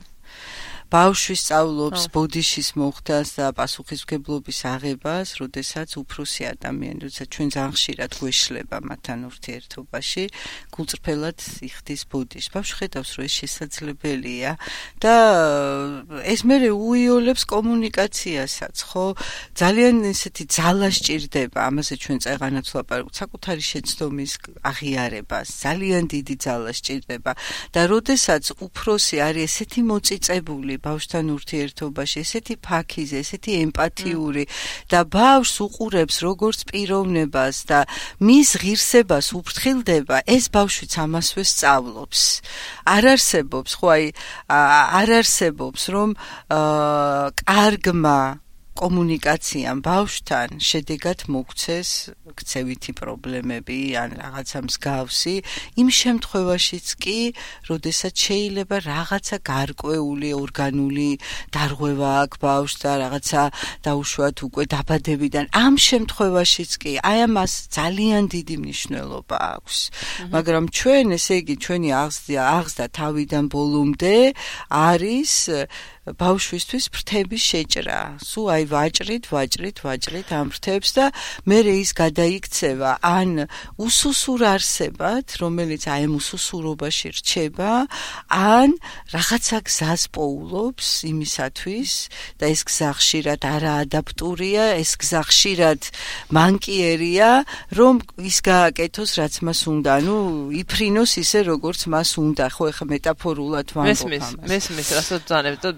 ბავშვი სწავლობს ბოდიშის მოხდას და პასუხისმგებლობის აღებას, როდესაც უფროსი ადამიანი, როდესაც ჩვენ ძალიან ხშირად გვეშლება მათთან ურთიერთობაში, გულწრფელად იხდის ბოდიშს. ბავშვი ხედავს, რომ ეს შესაძლებელია და ეს მერე უიოლებს კომუნიკაციასაც, ხო? ძალიან ესეთი ძალა სჭირდება, ამაზე ჩვენ წეღანაც ვლაპარაკობთ, საკუთარი შეცდომის აღიარებას, ძალიან დიდი ძალა სჭირდება და როდესაც უფროსი არის ესეთი მოწიწებული ბავშვთან ურთიერთობაში, ესეთი ფაქიზი, ესეთი ემპათიური და ბავშვს უყურებს როგორც პიროვნებას და მის ღირსებას უფრთხილდება, ეს ბავშვიც ამასვე სწავლობს. არ არსებობს, რომ კარგმა კომუნიკაციამ ბავშვთან შედეგად მოგცეს ქცევითი პრობლემები ან რაღაცა მსგავსი, იმ შემთხვევაშიც კი, როდესაც შეიძლება რაღაცა გარკვეული ორგანული დარღვევა აქვს ბავშვს და რაღაცა დაუშვათ უკვე დაბადებიდან, ამ შემთხვევაშიც კი, აი ამას ძალიან დიდი მნიშვნელობა აქვს. მაგრამ ჩვენ, ესე იგი, ჩვენი აღზრდა თავიდან ბოლომდე არის ბავშვისთვის ფრთების შეჭრა. სულ აი ვაჭრით ამ ფრთებს და მერე ის გადაიქცევა ან უსუსურ არსებად, რომელიც აი ამ უსუსურობაში რჩება, ან რაღაცა გზას პოულობს იმისათვის და ეს გზა ხშირად არაადაპტურია, ეს გზა ხშირად მანკიერია, რომ ის გააკეთოს, რაც მას უნდა, ანუ იფრინოს ისე, როგორც მას უნდა. ხო, ეხლა მეტაფორულად ვამბობ ამას. მესმის, რასაც ძანებ და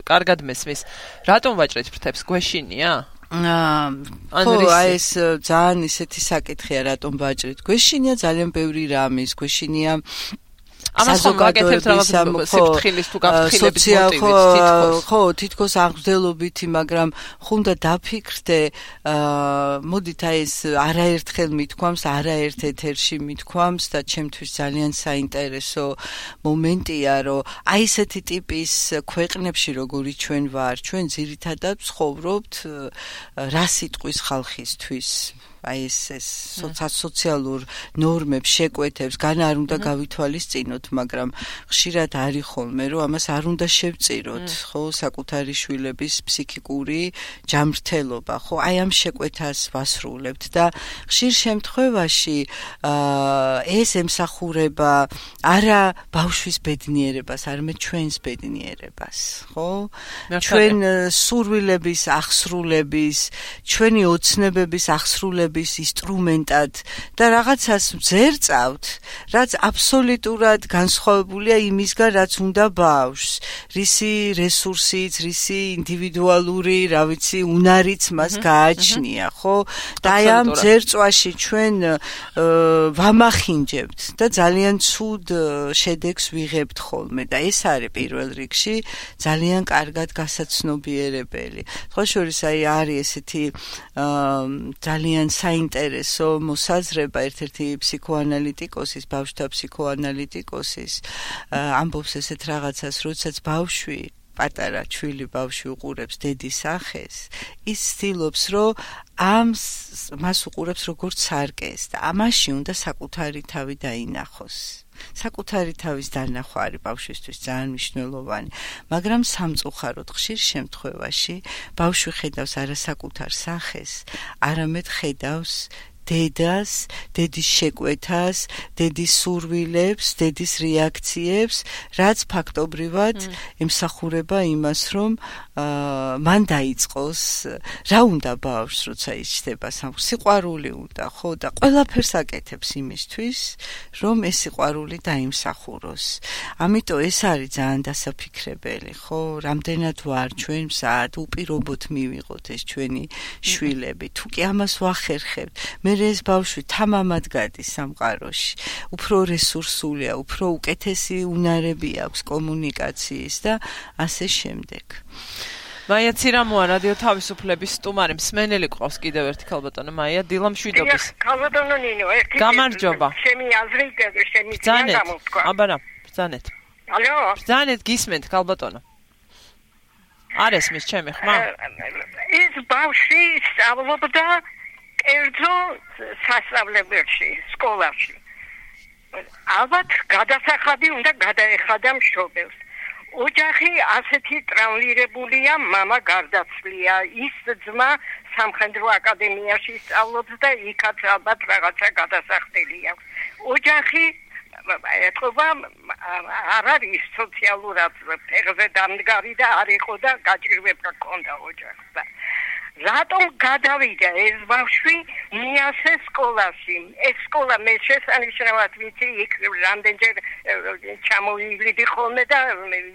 კარგად მესმის. რატომ ვაჭრეთ ფრთებს? გვეშინია? ხო, აი ეს ძალიან ისეთი საკითხია, რატომ ვაჭრეთ. გვეშინია ძალიან ბევრი რამის, გვეშინია ამას ხომ გაკეთებთ რაღაც სიფრთხილის თუ გაფრთხილების მოტივით თითქოს. ხო, თითქოს აღმდგელობითი, მაგრამ ხუნდა დაფიქრდე, მოდით აი ეს არაერთხელ მithქვამს, არაერთ ეთერში მithქვამს და ჩემთვის ძალიან საინტერესო მომენტია, რომ აი ესეთი ტიპის ქვეყნებში, როგორი ჩვენ ვარ, ჩვენ ძირითადად ცხოვრობთ რა სიტყვის ხალხისთვის. აი ეს სოციალურ ნორმებს, შეკვეთებს, გან არ უნდა გავითვალისწინოთ, მაგრამ ხშირად არის ხოლმე, რომ ამას არ უნდა შევწიროთ, ხო, საკუთარი შვილების ფსიქიკური ჯანმრთელობა, ხო, აი ამ შეკვეთას ვასრულებთ და ხშირ შემთხვევაში ეს ემსახურება არა ბავშვის ბედნიერებას, არამედ ჩვენს ბედნიერებას, ხო? ჩვენ სურვილების აღსრულების, ჩვენი ოცნებების აღსრულების განსხვავების ინსტრუმენტად და რაღაცას ძერწავთ, რაც აბსოლუტურად განსხვავებულია იმისგან, რაც უნდა ბავშვს. რისი რესურსიც, რისი ინდივიდუალური, რა ვიცი, უნარიც მას გააჩნია, ხო? და აი ამ ძერწვაში ჩვენ ვამახინჯებთ და ძალიან ცუდ შედეგს ვიღებთ ხოლმე და ეს არის პირველ რიგში ძალიან კარგად გასაცნობიერებელი. სხვა შორის არის ესეთი ძალიან საინტერესო მოსაზრება ერთ-ერთი ფსიქოანალიტიკოსის, ბავშვთა ფსიქოანალიტიკოსის ამბობს ესეთ რაღაცას, როდესაც ბავშვი პატარა ჩვილი ბავშვი უყურებს დედის სახეს, ის ცდილობს, რომ მას უყურებს როგორც სარკეს და ამაში უნდა საკუთარი თავი დაინახოს. საკუთარი თავის დანახვა არის ბავშვისთვის ძალიან მნიშვნელოვანი, მაგრამ სამწუხაროდ ხშირ შემთხვევაში ბავშვი ხედავს არა საკუთარ სახეს, არამედ ხედავს დედას, დედის შეკვეთას, დედის სურვილებს, დედის რეაქციებს, რაც ფაქტობრივად ემსახურება იმას, რომ მან დაიწყოს, რა უნდა ბავშვს, როცა ის ჩდება სიყვარული უნდა, ხო, და ყველაფერს აკეთებს იმისთვის, რომ ეს სიყვარული დაიმსახუროს. ამიტომ ეს არის ძალიან დასაფიქრებელი, ხო, რამდენად ვარ ჩვენ მზად უპირობოდ მივიღოთ ეს ჩვენი შვილები, თუ კი ამას ვახერხებთ, ეს ბავშვი თამამად გადის სამყაროში, უფრო რესურსულია, უფრო უკეთესი უნარები აქვს კომუნიკაციის და ასე შემდეგ. მაია ცირამოა რადიო თავისუფლების სტუმარი, მსმენელი ყავს კიდევ ერთი ქალბატონო მაია, დილა მშვიდობის. ქალბატონო ნინო, ერთი გამარჯობა. ჩემი აზრი, ჩემი ძინა გამოვთქვა. აბარა, ბრძანეთ. ალო? ბრძანეთ, გისმენთ ქალბატონო. არ ესმის ჩემი ხმა? ეს ბავშვი სწავლობდა კერძო სასწავლებელში, სკოლაში. ალბათ გადასახადი უნდა გადაეხადა მშობელს. ოჯახი ასეთი ტრაუმირებულია, მამა გარდაცვლია, ის ძმა სამხედრო აკადემიაში სწავლობს და იქაც ალბათ რაღაცა გადასახდელი აქვს. ოჯახი ეთქობა არ არის სოციალურად ფეხზე დამდგარი და არ იყო და გაჭირვება ჰქონდა ოჯახს და რატომ გადავიდა ეს ბავშვი მიასე სკოლაში? ეს სკოლა მე შესანიშნავად ვიცი, იქ რამდენჯერ ჩამოვივლიდი ხოლმე და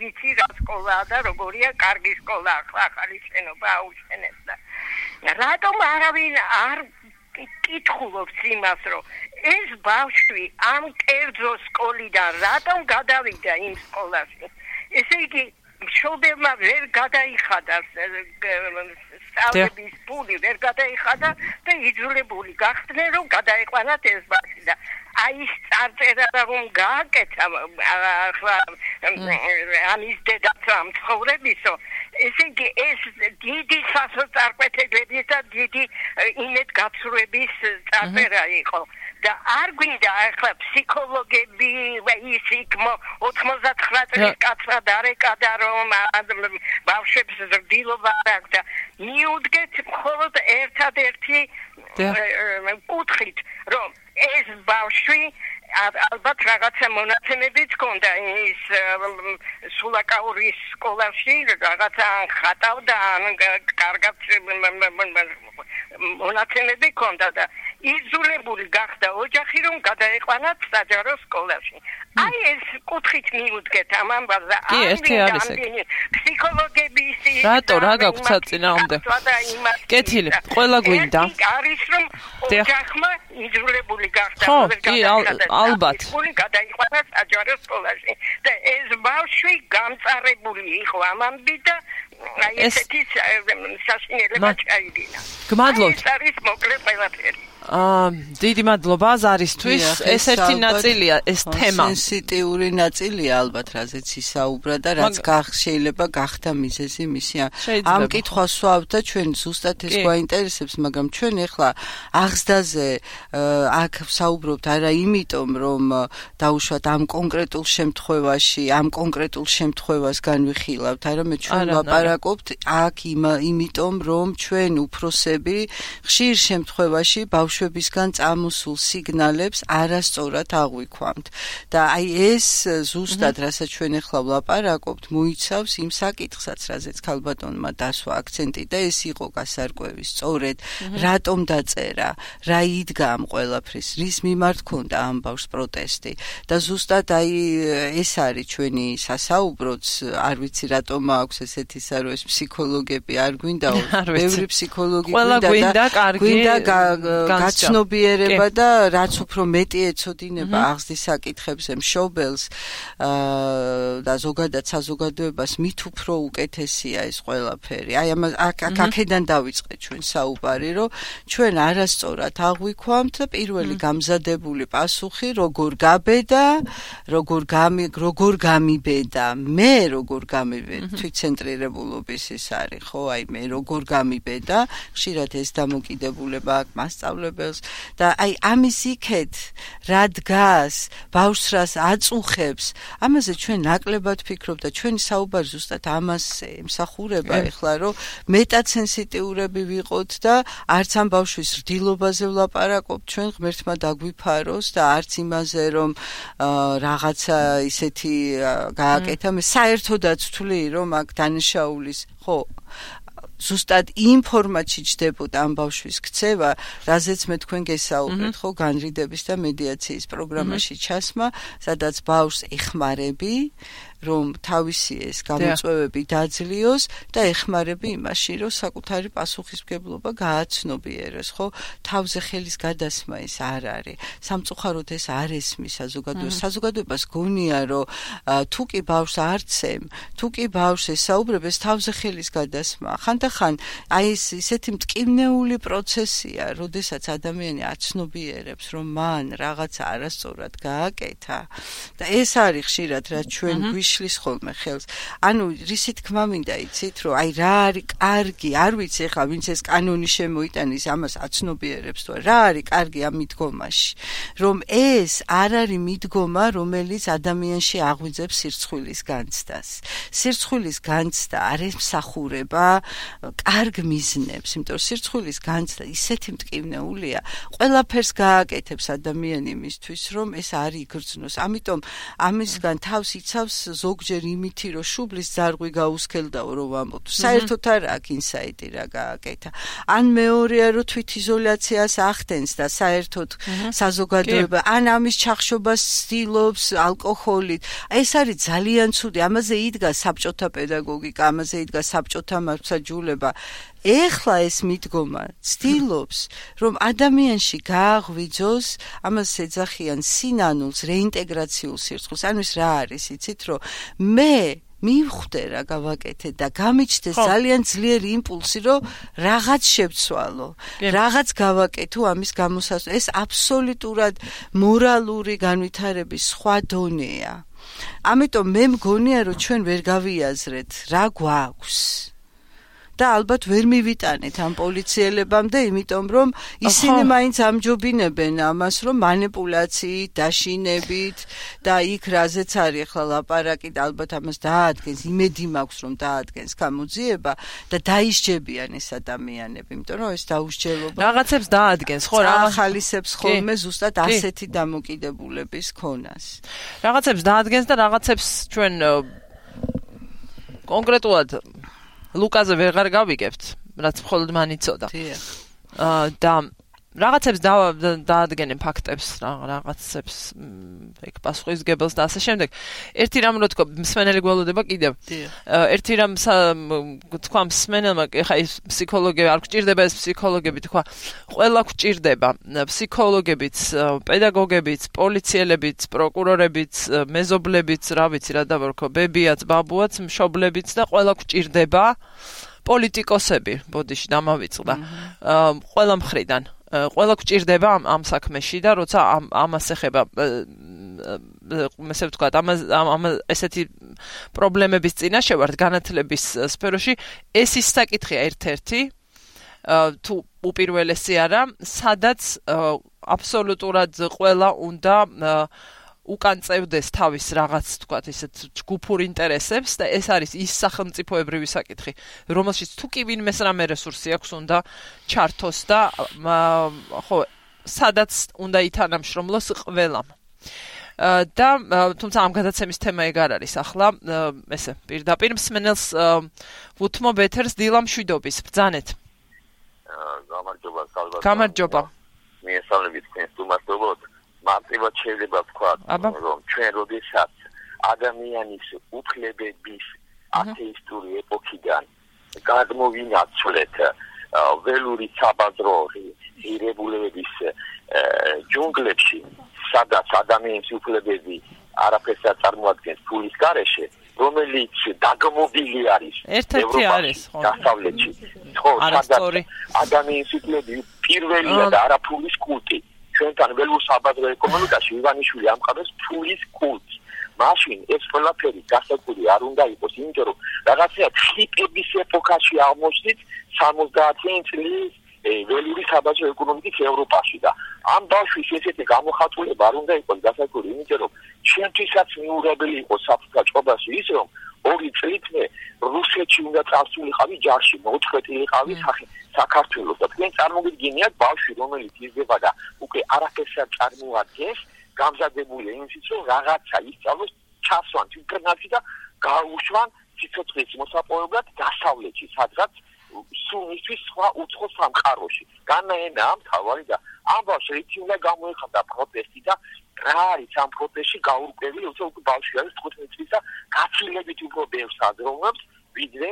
ვიცი რა სკოლაა და როგორია, კარგი სკოლა, ახალი შენობა აუშენეს და რატომ არავინ არ კითხულობს იმას, რომ ეს ბავშვი ამ კერძო სკოლიდან რატომ გადავიდა იმ სკოლაში? ესე იგი მშობელმა ვერ გადაიხადა სწავლების ფული, ვერ გადაიხადა და იძულებული გახდნენ, რომ გადაეყვანათ ეს ბავშვი და აი ის წარწერა რომ გააკეთა ამის დედაც ამ ცხოვრებისო, ესე იგი ეს დიდი სასოწარკვეთილების და დიდი იმედგაცრუების წარწერა იყო. და არ გვინდა ახლა ფსიქოლოგები ის იქ 99 წლის კაცმა დარეკადა რომ ბავშვებს ზრდილობა აქვს და მიუდგეთ მხოლოდ ერთადერთი კუთხით რომ ეს ბავშვი ალბათ რაღაცა მონაცემებიც ჰქონდა ის სულაკაურის სკოლაში რაღაცა ხატავდა კარგად მონაცემები ჰქონდა და იძულებული გახდა ოჯახი რომ გადაეყვანათ საჯარო სკოლაში. აი ეს კუთხით მიუდგეთ ამ ამბავზე. კი, ერთი არის ეგ. ფსიქოლოგების რატო რა გაქვთ საწინააღმდეგო? კეთილი, ყველა გვინდა. არის რომ ოჯახმა იძულებული გახდა ხო, კი, ალბათ. გადაიყვანა საჯარო სკოლაში. და ეს ბავშვი გამწარებული იყო ამამდე და აი ესეთი საშინელება ჩაიდინა. გმადლობთ. ეს არის მოკლე ყველაფერი. დიდი მადლობა ზარისთვის. ეს ერთი ნაწილია ეს თემა. სენსიტიური ნაწილია ალბათ, რაზეც ისაუბრა და რაც შეიძლება გახდა მიზეზი მისი. ამ კითხვას ვსვავთ და ჩვენ ზუსტად ეს გვაინტერესებს, მაგრამ ჩვენ ახლა აღზრდაზე აქ ვსაუბრობთ არა იმიტომ, რომ დაუშვათ ამ კონკრეტულ შემთხვევაში, ამ კონკრეტულ შემთხვევას განვიხილავთ, არამედ ჩვენ ვლაპარაკობთ აქ იმიტომ, რომ ჩვენ უფროსები ხშირ შემთხვევაში ბავშვ ბავშვებისგან წამოსულ სიგნალებს არასწორად აღვიქვამთ და აი ეს ზუსტად რასაც ჩვენ ახლა ვლაპარაკობთ მოიცავს იმ საკითხსაც რაზეც ქალბატონმა დასვა აქცენტი და ეს იყო გასარკვევი სწორედ რატომ დაწერა რა იდგა ამ ყველაფრის რის მიმართ ქონდა ამ ბავშვს პროტესტი და ზუსტად აი ეს არის ჩვენი სასაუბროც არ ვიცი რატომ აქვს ესეთი სარო ეს ფსიქოლოგები არ გვინდაო ბევრი ფსიქოლოგი გვინდა გაცნობიერება და რაც უფრო მეტი ეცოდინება აღზრდის საკითხებზე მშობელს და ზოგადად საზოგადოებას მით უფრო უკეთესია ეს ყველაფერი აი აქედან დავიწყე ჩვენ საუბარი რომ ჩვენ არასწორად აღვიქვამთ და პირველი გამზადებული პასუხი როგორ გაბედა როგორ გამიბედა მე როგორ გამიბედა თვითცენტრირებულობის ის არის ხო აი მე როგორ გამიბედა ხშირად ეს დამოკიდებულება აქვს მასწავლებელს და აი ამის იქეთ რა დგას ბავშვს რას აწუხებს ამაზე ჩვენ ნაკლებად ვფიქრობთ და ჩვენი საუბარი ზუსტად ამას ემსახურება ეხლა რომ მეტად სენსიტიურები ვიყოთ და არც ამ ბავშვის რდილობაზე ვლაპარაკობთ ჩვენ ღმერთმა დაგვიფაროს და არც იმაზე რომ რაღაცა ისეთი გააკეთა მე საერთოდაც ვთვლი რომ აქ დანაშაულის ხო ზუსტად იმ ფორმატში ჯდებოდა ამ ბავშვის ქცევა, რაზეც მე თქვენ გესაუბრეთ, ხო, განრიდების და მედიაციის პროგრამაში ჩასმა, სადაც ბავშვს ეხმარები, რომ თავისი ეს გამოწვევები დაძლიოს და ეხმარები იმაში, რომ საკუთარი პასუხისმგებლობა გააცნობიეროს, ხო? თავზე ხელის გადასმა ეს არ არის. სამწუხაროდ ეს არ ესმის საზოგადოებას გონია, რომ თუ კი ბავშვს არცემ, თუ კი ბავშვს ესაუბრებს, თავზე ხელის გადასმა. ხანდახან აი ეს ისეთი მტკივნეული პროცესია, როდესაც ადამიანი აცნობიერებს, რომ მან რაღაცა არასწორად გააკეთა და ეს არის ხშირად რაც ჩვენ შლის ხოლმე ხელს. ანუ რისი თქმა მინდა იცით, რომ აი რა არის კარგი, არ ვიცი ახლა ვინც ეს კანონი შემოიტანის, ამას აცნობიერებს თუ რა არის კარგი ამ მიდგომაში, რომ ეს არ არის მიდგომა, რომელიც ადამიანში აღვიძებს სირცხვილის განცდას. სირცხვილის განცდა არ ემსახურება კარგ მიზნებს, იმიტომ რომ სირცხვილის განცდა ისეთი მტკივნეულია, ყველაფერს გააკეთებს ადამიანი იმისთვის, რომ ეს არ იგრძნოს. ამიტომ ამისგან თავს იცავს ზოგჯერ იმითი, რომ შუბლის ძარღვი გაუსქელდაო, რომ ვამბობ. საერთოდ არ აქვს ინსაიტი რა გააკეთა. ან მეორეა, რომ თვითიზოლაციას ახდენს და საერთოდ საზოგადოება, ან ამის ჩახშობას ცდილობს ალკოჰოლით. ეს არის ძალიან ცუდი. ამაზე იდგა საბჭოთა პედაგოგიკა, ამაზე იდგა საბჭოთა მართლმსაჯულება. ეხლა ეს მიდგომა ცდილობს, რომ ადამიანში გააღვიძოს, ამას ეძახიან სინანულს, რეინტეგრაციულ სირცხვილს. ანუ ეს რა არის, იცით, რომ მე მივხვდე რა გავაკეთე და გამიჩნდეს ძალიან ძლიერი იმპულსი, რომ რაღაც შევცვალო, რაღაც გავაკეთო ამის გამოსასწორებლად. ეს აბსოლუტურად მორალური განვითარების სხვა დონეა. ამიტომ მე მგონია, რომ ჩვენ ვერ გავიაზრეთ რა გვაქვს. და ალბათ ვერ მივიტანეთ ამ პოლიციელებამდე, იმიტომ რომ ისინი მაინც ამჯობინებენ ამას, რომ манипуляციით, დაშინებით და იქ რაზეც არის ახლა ლაპარაკი და ალბათ ამას დაადგენს, იმედი მაქვს რომ დაადგენს გამოძიება და დაისჯებიან ეს ადამიანები, იმიტომ რომ ეს დაუსჯელობა რაღაცებს დაადგენს, ხო, ახალისებს ხოლმე ზუსტად ასეთი დამოკიდებულების ქონას. რაღაცებს დაადგენს და რაღაცებს ჩვენ კონკრეტულად ლუკაზე ვეღარ გავიგებთ, რაც მხოლოდ მან იცოდა. და რაღაცებს დაადგენენ ფაქტებს, რაღაცებს ეგ პასუხისმგებელს და ასე შემდეგ. ერთი რამ რო თქვა, მსმენელი გველოდება კიდევ. ერთი რამ თქვა მსმენელმა, ეხა ის ფსიქოლოგები არ გვჭირდება, ეს ფსიქოლოგები თქვა, ყველა გვჭირდება, ფსიქოლოგებიც, პედაგოგებიც, პოლიციელებიც, პროკურორებიც, მეზობლებიც, რა ვიცი რა დავარქვა, ბებიაც, ბაბუაც, მშობლებიც და ყველა გვჭირდება. პოლიტიკოსები, ბოდიში დამავიწყდა. ყველა მხრიდან ყველა გვჭირდება ამ საქმეში და როცა ამას ეხება ესე ვთქვათ, ესეთი პრობლემების წინაშე ვართ განათლების სფეროში, ეს ის საკითხია ერთ-ერთი თუ უპირველესი არა, სადაც აბსოლუტურად ყველა უნდა უკან წევდეს თავის რაღაც, თქვათ, ისეთ ჯგუფურ ინტერესებს და ეს არის ის სახელმწიფოებრივი საკითხი, რომელშიც თუ კი ვინმეს რამე რესურსი აქვს, უნდა ჩართოს და ხო, სადაც უნდა ითანამშრომლოს ყველამ. და თუმცა ამ გადაცემის თემა ეგ არ არის ახლა ესე პირდაპირ მსმენელს ვუთმობ ეთერს დილა მშვიდობის ბრძანეთ. გამარჯობა. მიესალმებით თქვენს სტუმარს. მარტივად შეიძლება ვთქვა, რომ ჩვენ როდესაც ადამიანის უფლებების ათეისტური ეპოქიდან გადმოვინაცვლეთ ველური საბაზრო ღირებულებების ჯუნგლებში, სადაც ადამიანის უფლებები არაფერს არ წარმოადგენს ფულის გარეშე, რომელიც დაგმობილი არის ევროპაში, დასავლეთში, სადაც ადამიანის უფლებები პირველია და არა ფულის კულტი. ჩვენთან ველურ საბაზრო ეკონომიკაში ივანიშვილი ამყარებს ფულის კულტს. მაშინ ეს ყველაფერი გასაგული არ უნდა იყოს, იმიტომ რომ რაღაცა ხიპების ეპოქაში აღმოჩნდით 70-იანი წლის ველური საბაზრო ეკონომიკის ევროპაში და ამ ბავშვის ესეთი გამოხატულება არ უნდა იყოს გასაგული, იმიტომ რომ ჩვენთვისაც მიუღებელი იყოს საფრთხეობაში ის, რომ 2 წლით მე რუსეთში უნდა წავსულიყავი ჯარში, მოწყვეტილიყავი საქართველოს და თქვენ წარმოგიდგენიათ ბავშვი, რომელიც იზრდება და უკვე არაფერს არ წარმოადგენს, გამზადებულია იმისთვის, რომ რაღაცა ისწავლოს, ჩასვან თვითკრნალში და გაუშვან სიცოცხლის მოსაპოვებლად დასავლეთში, სადღაც სულ მისთვის სხვა უცხო სამყაროში. განაენა ამ თავარი და ამ ბავშვს რითი უნდა გამოეხატა პროტესტი და რა არის ამ პროტესტში გაურკვევი, უკვე ბავშვი არის 15 წლის და გაცილებით უფრო ბევრს აზროვნებს, ვიდრე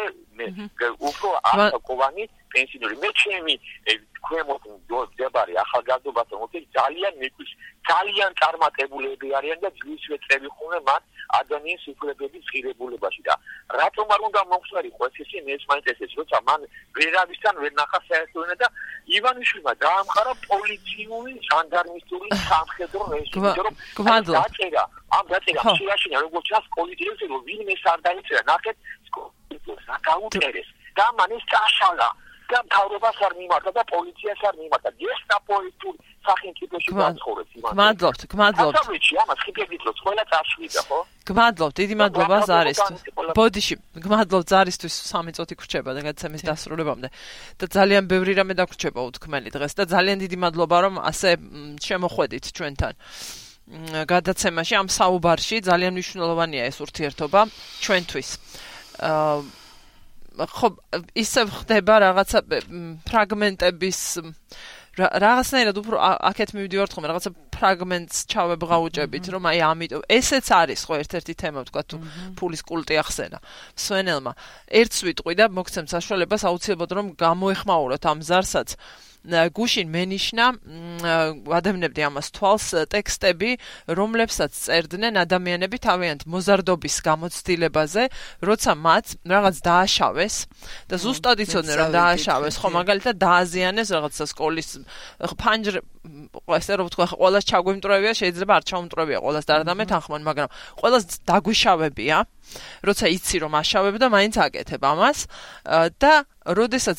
უფრო ასაკოვანი პენსიონერი. მე ჩემი ქვემოთ მდებარე ახალგაზრდობასთან მოწი ძალიან მეკვის, ძალიან წარმატებულები არიან და ძვისვე წევი ხუნე მათ ადამიანის უფლებების ღირებულებაში და რატომ არ უნდა მომხსნარიყო ესე ეს მაინტერესებს, როცა მან ვერავისთან ვერ ნახა საერთოდ და ივანიშვილმა დაამყარა პოლიციური ჟანდარმისტური სამხედრო რეჟიმი, რომ ამ დაწერა შეაშინა როგორც ჩანს პოლიტიკაზე, რომ ვინმეს არ დაიწერა ნახეთ სკოლას აკაუნტერეს და მან ეს წაშალა და მთავრობას არ მიმართა და პოლიციას არ მიმართა. გესტაპოისტური სახელმწიფოში გაცხოვრებს იმან. გმადლობთ. დასავლეთში ამას ხიფებით რო ყველა წაშვიდა, ხო? გმადლობთ, დიდი მადლობა ზარისთვის. ბოდიში, გმადლობთ ზარისთვის 3 წუთი გრჩება და გადაცემის დასრულებამდე. და ძალიან ბევრი რამე დაგრჩება უთქმელი დღეს და ძალიან დიდი მადლობა რომ ასე შემოხვედით ჩვენთან. გადაცემაში ამ საუბარში ძალიან მნიშვნელოვანია ეს ურთიერთობა ჩვენთვის. ხო, ისე ხდება რაღაცა ფრაგმენტების რაღაცნაირად უფრო აქეთ მივიდივართ ხოლმე რაღაცა ფრაგმენტს ჩავებღაუჭებით, რომ აი ამიტომ ესეც არის ხო ერთ-ერთი თემა, თქვა თუ ფულის კულტი ახსენა სვენელმა. ერთს ვიტყვი და მოგცემ საშუალებას აუცილებლად რომ გამოეხმაუროთ ამ ზარსაც. გუშინ მენიშნა ადამიანებდი ამას თვალს ტექსტები, რომლებსაც წერდნენ ადამიანები თავიანთ მოზარდობის გამოცდილებაზე, როცა მათ რაღაც დააშავეს და ზუსტად იცოდნენ რომ დააშავეს, ხო მაგალითად დააზიანეს რაღაცა სკოლის ფანჯრ ესე რომ ვთქვა, ყველას ჩაგვიმტრევია, შეიძლება არ ჩაუმტრევია ყველას დარდამეთანხმან, მაგრამ ყველას დაგვიშავებია, როცა იცი რომ აშავებ და მაინც აკეთებ ამას და როდესაც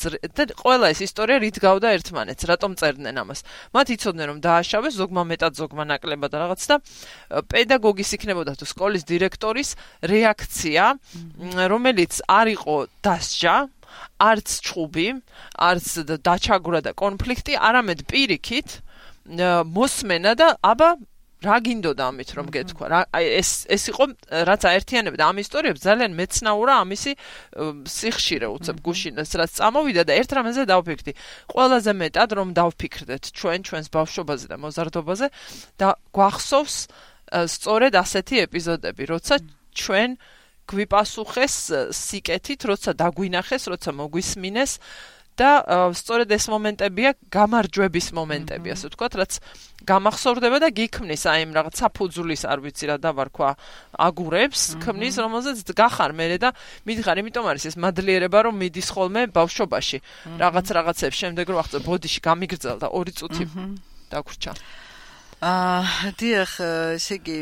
ყველა ეს ისტორია რით გავდა ერთმანეთს, რატომ წერდნენ ამას. მათ იცოდნენ რომ დააშავეს, ზოგმა მეტად, ზოგმა ნაკლებად რაღაც და პედაგოგის იქნებოდა თუ სკოლის დირექტორის რეაქცია, რომელიც არ იყო დასჯა, არც ჩხუბი, არც დაჩაგვრა და კონფლიქტი, არამედ პირიქით მოსმენა და აბა რა გინდოდა ამით რომ გეთქვა. ეს იყო რაც აერთიანებდა ამ ისტორიებს, ძალიან მეცნაურა ამისი სიხშირე უცებ გუშინას რაც წამოვიდა და ერთ რამეზე დავფიქრდი. ყველაზე მეტად რომ დავფიქრდეთ ჩვენს ბავშვობაზე და მოზარდობაზე და გვახსოვს სწორედ ასეთი ეპიზოდები, როცა ჩვენ გვიპასუხეს სიკეთით, როცა დაგვინახეს, როცა მოგვისმინეს და სწორედ ეს მომენტებია გამარჯვების მომენტები, ასე ვთქვათ, რაც გამახსოვრდება და გიქმნის აი იმ რაღაც საფუძვლის, არ ვიცი რა დავარქვა, აგურებს, ქმნის, რომელზეც გახარ მე და მითხარ, იმიტომ არის ეს მადლიერება, რომ მიდის ხოლმე ბავშვობაში, რაღაცებს შემდეგ რომ აღწევ ბოდიში გამიგრძელდა 2 წუთი დაგვრჩა. დიახ, ესე იგი,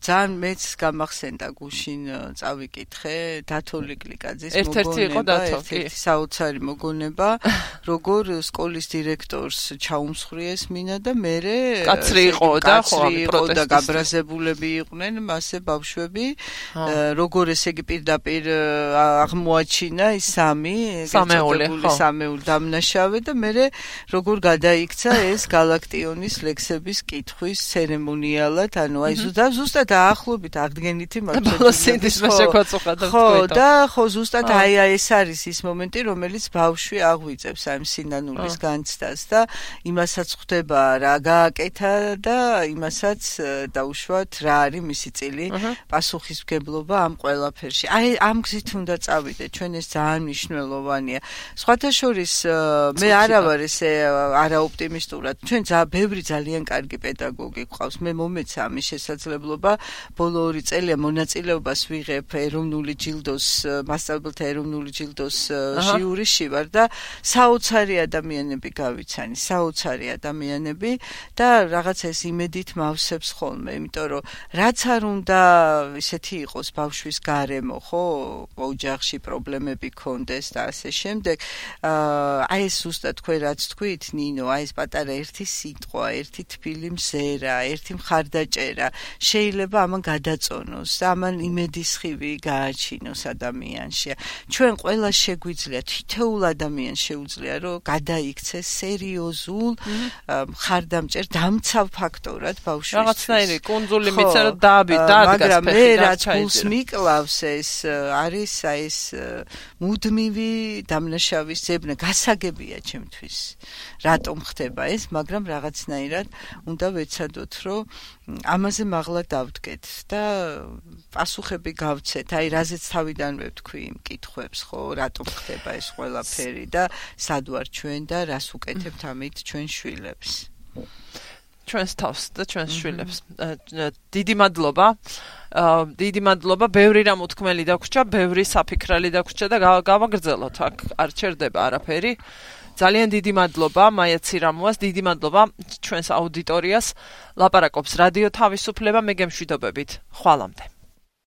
ძალიან მეც გამახსენდა გუშინ წავიკითხე დათოლი კლიკაძის მოგონება, ერთ-ერთი საოცარი მოგონება, როგორ სკოლის დირექტორს ჩაუმსხვრიეს მინა და მერე კაცრი იყო და გაბრაზებულები იყვნენ მასე ბავშვები, როგორ ესე იგი პირდაპირ აღმოაჩინა ის სამეული დამნაშავე და მერე როგორ გადაიქცა ეს გალაქტიონის ლექსების კითხვის ცერემონიალად, ანუ აი ზუსტად ახლობით აღდგენითი ხო, ზუსტად აი ეს არის ის მომენტი, რომელიც ბავშვი აღვიძებს ამ სინანულის განცდას და იმასაც ხვდება რა გააკეთა და იმასაც დაუშვათ რა არის მისი წილი პასუხისმგებლობა ამ ყველაფერში. აი ამ გზით უნდა წავიდეთ, ჩვენ ეს ძალიან მნიშვნელოვანია. სხვათა შორის მე არა ვარ ესე არაოპტიმისტურად. ჩვენ ბევრი ძალიან კარგი პედაგოგი გვყავს. მე მომეცა ამის შესაძლებლობა ბოლო 2 წელია მონაწილეობას ვიღებ ეროვნული ჯილდოს მასწავლებელთა ეროვნული ჯილდოს ჟიურიში ვარ და საოცარი ადამიანები გავიცანი, საოცარი ადამიანები და რაღაცა ეს იმედით მავსებს ხოლმე, იმიტომ რომ რაც არ უნდა ისეთი იყოს ბავშვის გარემო, ხო, ოჯახში პრობლემები ქონდეს და ასე შემდეგ. აი ეს ზუსტად თქვენ რაც თქვით, ნინო, აი ეს პატარა ერთი სიტყვა, ერთი თბილი მზერა, ერთი მხარდაჭერა შეიძლება ამან გადაწონოს და ამან იმედის ხივი გააჩინოს ადამიანში. ჩვენ ყველა შეგვიძლია, თითოეულ ადამიანს შეუძლია, რომ გადაიქცეს სერიოზულ მხარდამჭერ დამცავ ფაქტორად ბავშვისთვის. რაღაცნაირი კუნძული მიცა რომ დაადგას მაგრამ მე რაც გულს მიკლავს ეს არის აი ეს მუდმივი დამნაშავის ძებნა, გასაგებია ჩემთვის. რატომ ხდება ეს, მაგრამ რაღაცნაირად უნდა ვეცადოთ, რომ ამაზე მაღლა დავდგეთ და პასუხები გავცეთ. აი რაზეც თავიდანვე ვთქვი იმ კითხვებს, ხო, რატომ ხდება ეს ყველაფერი და სად ვარ ჩვენ და რას უკეთებთ ამით ჩვენ შვილებს. ჩვენს თავს და ჩვენს შვილებს. დიდი მადლობა. დიდი მადლობა, ბევრი რამ უთქმელი დაგვრჩა, ბევრი საფიქრალი დაგვრჩა და გავაგრძელოთ, აქ არ ჩერდება არაფერი. ძალიან დიდი მადლობა მაია ცირამუას, დიდი მადლობა ჩვენს აუდიტორიას. ლაპარაკობს რადიო თავისუფლება, მე გემშვიდობებით. ხვალამდე.